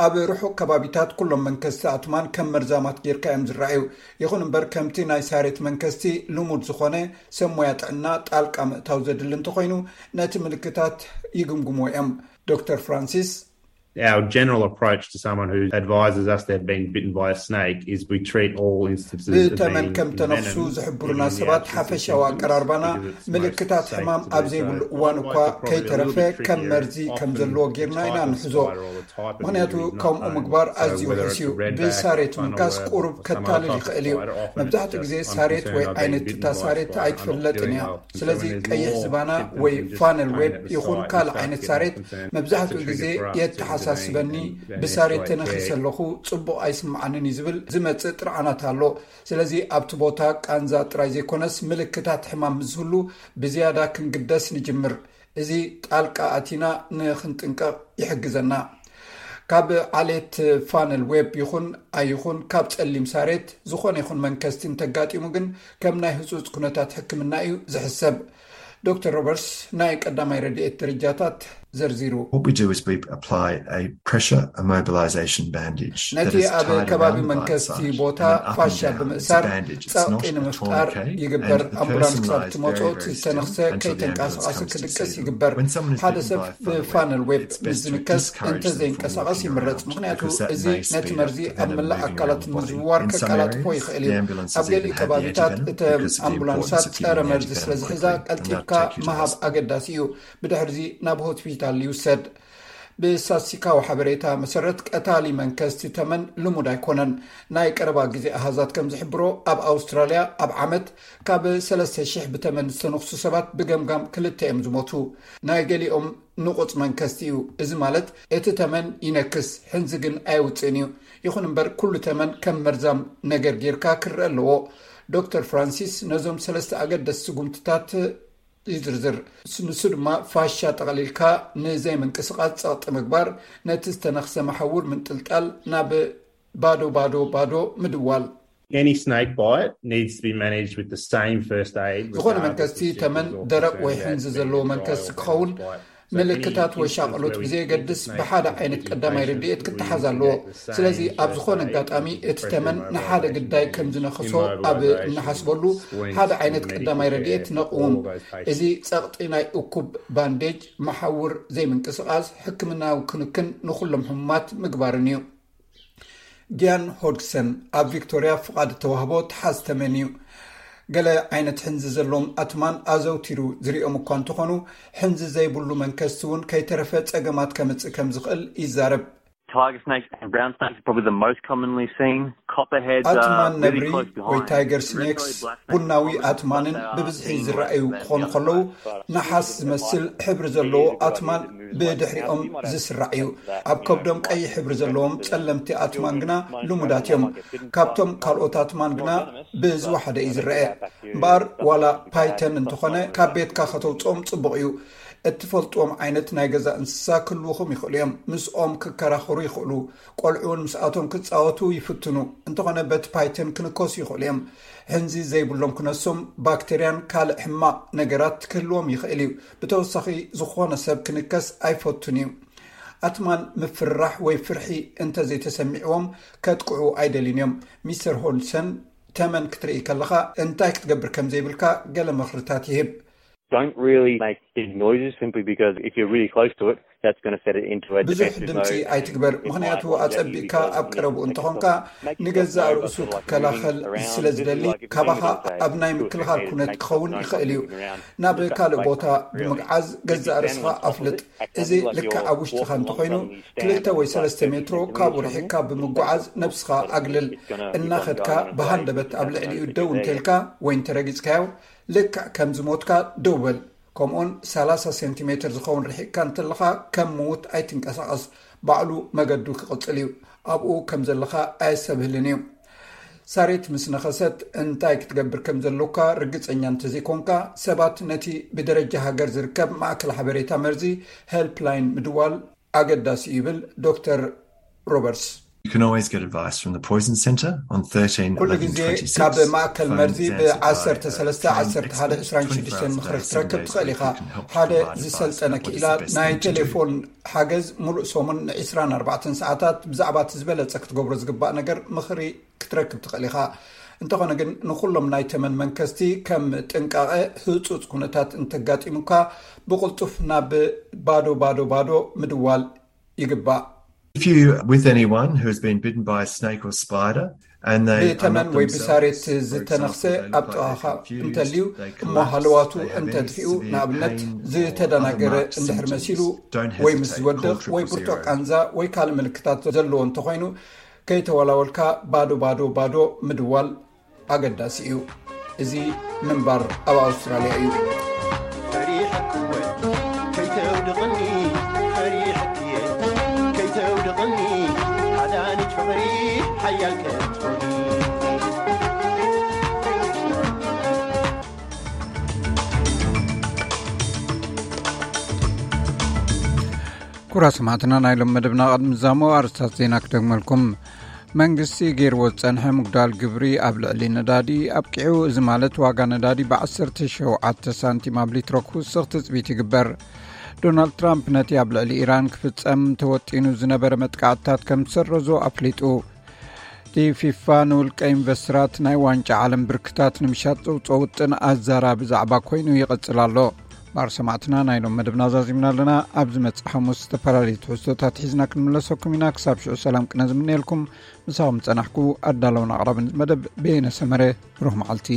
ኣብ ርሑቕ ከባቢታት ኩሎም መንከስቲ ኣትማን ከም መርዛማት ጌርካ እዮም ዝረኣዩ። ይኹን እምበር ከምቲ ናይ ሳሬት መንከስቲ ልሙድ ዝኾነ ሰብ ሞያ ጥዕና ጣልቃ ምእታው ዘድሊ እንተኾይኑ ነቲ ምልክታት ይግምግሞ እዮም። ዶክተር ፍራንሲስ Our general approach to someone who advises us they've been bitten by a snake is we treat all instances of ብተመን ከም ተነፍሱ ዝሕብሩና ሰባት ሓፈሻዊ ኣቀራርባና ምልክታት ሕማም ኣብ ዘይብሉ እዋን እኳ ከይተረፈ ከም መርዚ ከም ዘለዎ ጌርና ኢና ንሕዞ። ምኽንያቱ ከምኡ ምግባር ኣዝዩ ውሑስ እዩ። ብሳሬት ምንካስ ቁሩብ ከታልል ይኽእል እዩ። መብዛሕትኡ ግዜ ሳሬት ወይ ዓይነት እታ ሳሬት ኣይትፈለጥን እያ። ስለዚ ቀይሕ ዝባና ወይ ፋነል ዌብ ይኹን ካልእ ዓይነት ሳሬት መብዛሕትኡ ግዜ የተሓሳስበኒ። ብሳሬት ተነኺሰ ኣለኹ፣ ጽቡቕ ኣይስምዓንን እዩ ዝብል ዝመጽእ ጥርዓናት ኣሎ። ስለዚ ኣብቲ ቦታ ቃንዛ ጥራይ ዘይኮነስ ምልክታት ሕማም ምስ ዝህሉ ብዝያዳ ክንግደስ ንጅምር። እዚ ጣልቃ ኣቲና ንኽንጥንቀቕ ይሕግዘና። ካብ ዓሌት ፋነል ዌብ ይኹን ኣይኹን ካብ ጸሊም ሳሬት ዝኾነ ይኹን መንከስቲ እንተጋጢሙ ግን ከም ናይ ህጹጽ ኩነታት ሕክምና እዩ ዝሕሰብ። ዶክተር ሮበርትስ ናይ ቀዳማይ ረድኤት ደረጃታት ዘርዚሩ። What we do is we apply a pressure immobilization bandage. ነቲ ኣብ ከባቢ መንከስቲ ቦታ ፋሻ ብምእሳር ጸቕጢ ንምፍጣር ይግበር። ኣምቡላንስ ክሳብ ትመጾ እቲ ዝተነኽሰ ከይተንቀሳቐሰ ክድቅስ ይግበር። ሓደ ሰብ ብፋነል ዌብ ምስ ዝንከስ እንተዘይንቀሳቐስ ይምረጽ፣ ምኽንያቱ እዚ ነቲ መርዚ ኣብ መላእ ኣካላት ምዝውዋር ከቀላጥፎ ይኽእል እዩ። ኣብ ገሊኡ ከባቢታት እተን ኣምቡላንሳት ጸረ መርዚ ስለ ዝሕዛ ቀልጢፍካ ምሃብ ኣገዳሲ እዩ። ብድሕርዚ ናብ ሆስፒታል ይውሰድ። ብስታትስቲካዊ ሓበሬታ መሰረት ቀታሊ መንከስቲ ተመን ልሙድ ኣይኮነን። ናይ ቀረባ ግዜ ኣሃዛት ከም ዝሕብሮ ኣብ ኣውስትራልያ ኣብ ዓመት ካብ 3,000 ብተመን ዝተነኽሱ ሰባት ብገምጋም ክልተ እዮም ዝሞቱ። ናይ ገሊኦም ንቑጽ መንከስቲ እዩ። እዚ ማለት እቲ ተመን ይነክስ፣ ሕንዚ ግን ኣየውፅእን እዩ። ይኹን እምበር ኩሉ ተመን ከም መርዛም ነገር ጌርካ ክረአ ኣለዎ። ዶክተር ፍራንሲስ ነዞም ሰለስተ ኣገደስቲ ስጉምትታት ይዝርዝር። ንሱ ድማ ፋሻ ጠቕሊልካ ንዘይምንቅስቓስ ጸቕጢ ምግባር፣ ነቲ ዝተነኽሰ መሓውር ምንጥልጣል፣ ናብ ባዶ ባዶ ባዶ ምድዋል። Any snake bite needs to be managed with the same first aid. ዝኾነ መንከስቲ ተመን ደረቕ ወይ ሕንዚ ዘለዎ መንከስቲ ክኸውን ምልክታት ወይ ሻቕሎት ብዘየገድስ ብሓደ ዓይነት ቀዳማይ ረድኤት ክተሓዝ ኣለዎ። ስለዚ ኣብ ዝኾነ ኣጋጣሚ እቲ ተመን ንሓደ ግዳይ ከም ዝነኸሶ ኣብ እንሓስበሉ ሓደ ዓይነት ቀዳማይ ረድኤት ነቕውም። እዚ ጸቕጢ ናይ እኩብ ባንዴጅ፣ መሓውር ዘይምንቅስቓስ፣ ሕክምናዊ ክንክን ንኹሎም ሕሙማት ምግባርን እዩ። ጊያን ሆድግሰን ኣብ ቪክቶርያ ፍቓድ እተዋህቦ ተሓዝ ተመን እዩ። ገለ ዓይነት ሕንዚ ዘለዎም ኣትማን ኣዘውቲሩ ዝሪኦም እኳ እንተኾኑ፣ ሕንዚ ዘይብሉ መንከስቲ እውን ከይተረፈ ጸገማት ከምጽእ ከም ዝኽእል ይዛረብ። Tiger snakes and brown snakes are probably the most commonly seen. Copperheads are ኣትማን really ነብሪ close ወይ behind. ታይገር ስኔክስ ቡናዊ ኣትማንን ብብዝሒ ዝረኣዩ ክኾኑ ከለዉ፣ ነሓስ ዝመስል ሕብሪ ዘለዎ ኣትማን ብድሕሪኦም ዝስራዕ እዩ። ኣብ ከብዶም ቀይሕ ሕብሪ ዘለዎም ጸለምቲ ኣትማን ግና ልሙዳት እዮም። ካብቶም ካልኦት ኣትማን ግና ብዝወሓደ እዩ ዝረአ። እምበኣር ዋላ ፓይተን እንተኾነ ካብ ቤትካ ከተውፅኦም ጽቡቕ እዩ። እትፈልጥዎም ዓይነት ናይ ገዛ እንስሳ ክህልውኹም ይኽእሉ እዮም። ምስኦም ክከራኸሩ ይኽእሉ። ቆልዑ እውን ምስኣቶም ክጻወቱ ይፍትኑ። እንተኾነ በቲ ፓይተን ክንከሱ ይኽእሉ እዮም። ሕንዚ ዘይብሎም ክነሶም ባክተርያን ካልእ ሕማቕ ነገራት ክህልዎም ይኽእል እዩ። ብተወሳኺ ዝኾነ ሰብ ክንከስ ኣይፈቱን እዩ። ኣትማን ምፍርራሕ ወይ ፍርሒ እንተዘይተሰሚዕዎም ከጥቅዑ ኣይደልዩን እዮም። ሚስተር ሆልሰን፣ ተመን ክትርኢ ከለኻ እንታይ ክትገብር ከም ዘይብልካ ገለ ምኽርታት ይህብ። Don't really make big noises simply because if you're really close to it, that's going to set it into a ብዙሕ defensive ድምፂ mode. ኣይትግበር፣ ምኽንያቱ ኣጸቢቕካ ኣብ ቀረብኡ እንተኾንካ ንገዛእ ርእሱ ክከላኸል ስለ ዝደሊ ካባኻ ኣብ ናይ ምክልኻል ኩነት ክኸውን ይኽእል እዩ። ናብ ካልእ ቦታ ብምግዓዝ ገዛእ ርእስኻ ኣፍልጥ። እዚ ልክዕ ኣብ ውሽጥኻ እንተኾይኑ ክልተ ወይ ሰለስተ ሜትሮ ካብኡ ርሒቕካ ብምጓዓዝ ነብስኻ ኣግልል። እናኸድካ ብሃንደበት ኣብ ልዕሊኡ ደው እንተልካ ወይ እንተረጊጽካዮ ልክዕ ከም ዝሞትካ ደው በል። ከምኡውን ሰላሳ ሴንቲሜትር ዝኸውን ርሒቕካ እንተለኻ ከም ምዉት ኣይትንቀሳቐስ። ባዕሉ መገዱ ክቕጽል እዩ። ኣብኡ ከም ዘለኻ ኣየሰብህልን እዩ። ሳሬት ምስ ነኸሰት እንታይ ክትገብር ከም ዘለካ ርግጸኛ እንተዘይኮንካ ሰባት ነቲ ብደረጃ ሃገር ዝርከብ ማእከል ሓበሬታ መርዚ ሄልፕላይን ምድዋል ኣገዳሲ እዩ ይብል ዶክተር ሮበርትስ። You can always get advice from the Poison Centre on thirteen ኩሉ eleven ግዜ twenty-six. ካብ ማእከል መርዚ ብ13 11 26 ምኽሪ ክትረክብ ትኽእል ኢኻ። ሓደ ዝሰልጠነ ክኢላ ናይ ቴሌፎን ሓገዝ ሙሉእ ሰሙን ን24 ሰዓታት ብዛዕባ እቲ ዝበለጸ ክትገብሮ ዝግባእ ነገር ምኽሪ ክትረክብ ትኽእል ኢኻ። እንተኾነ ግን ንኹሎም ናይ ተመን መንከስቲ ከም ጥንቃቐ ህጹጽ ኩነታት እንተጋጢሙካ ብቕልጡፍ ናብ ባዶ ባዶ ባዶ ምድዋል ይግባእ። If you with anyone who has been bitten by a snake or spider and they are ብተመን not ወይ themselves, ብሳሬት for ዝተነኽሰ example, they ኣብ look like they're ጥቓኻ confused, እንተልዩ they እሞ collapse, ሃለዋቱ they have any እንተጥፊኡ severe ንኣብነት pain or ዝተደናገረ other marked እንድሕር symptoms, መሲሉ don't ወይ ምስ hesitate, ዝወድቕ call ወይ triple ብርቱዕ zero. ቃንዛ ወይ ካልእ ምልክታት ዘለዎ እንተኾይኑ ከይተወላወልካ ባዶ ባዶ ባዶ ምድዋል ኣገዳሲ እዩ። እዚ ምንባር ኣብ ኣውስትራልያ እዩ። ፈሪሐክወ ከይተውድቕኒ ፈሪሐክየ ከይተውድቕኒ ሓዳኒት ፍቕሪ ሓያል ከትኾኒ ኩራ ሰማዕትና ናይ ሎም መደብና ቅድሚ ዛሞ ኣርስታት ዜና ክደግመልኩም። መንግስቲ ገይርዎ ዝጸንሐ ምጉዳል ግብሪ ኣብ ልዕሊ ነዳዲ ኣብቂዑ። እዚ ማለት ዋጋ ነዳዲ ብ17 ሳንቲም ኣብ ሊትሮ ክውስኽ ትጽቢት ይግበር። ዶናልድ ትራምፕ ነቲ ኣብ ልዕሊ ኢራን ክፍጸም ተወጢኑ ዝነበረ መጥቃዕትታት ከም ዝሰረዞ ኣፍሊጡ። እቲ ፊፋ ንውልቀ ኢንቨስተራት ናይ ዋንጫ ዓለም ብርክታት ንምሻጥ ዘውፅኦ ውጥን ኣዛራቢ ዛዕባ ኮይኑ ይቕፅል ኣሎ። ባር ሰማዕትና ናይ ሎም መደብና ዛዚምና ኣለና። ኣብ ዝመፅእ ሓሙስ ዝተፈላለዩ ትሕዝቶታት ሒዝና ክንምለሰኩም ኢና። ክሳብ ሽዑ ሰላም ቅነ ዝምነየልኩም። ምሳኹም ዝፀናሕኩ ኣዳለውን ኣቕራብን መደብ በየነ ሰመረ። ብሩኽ መዓልቲ።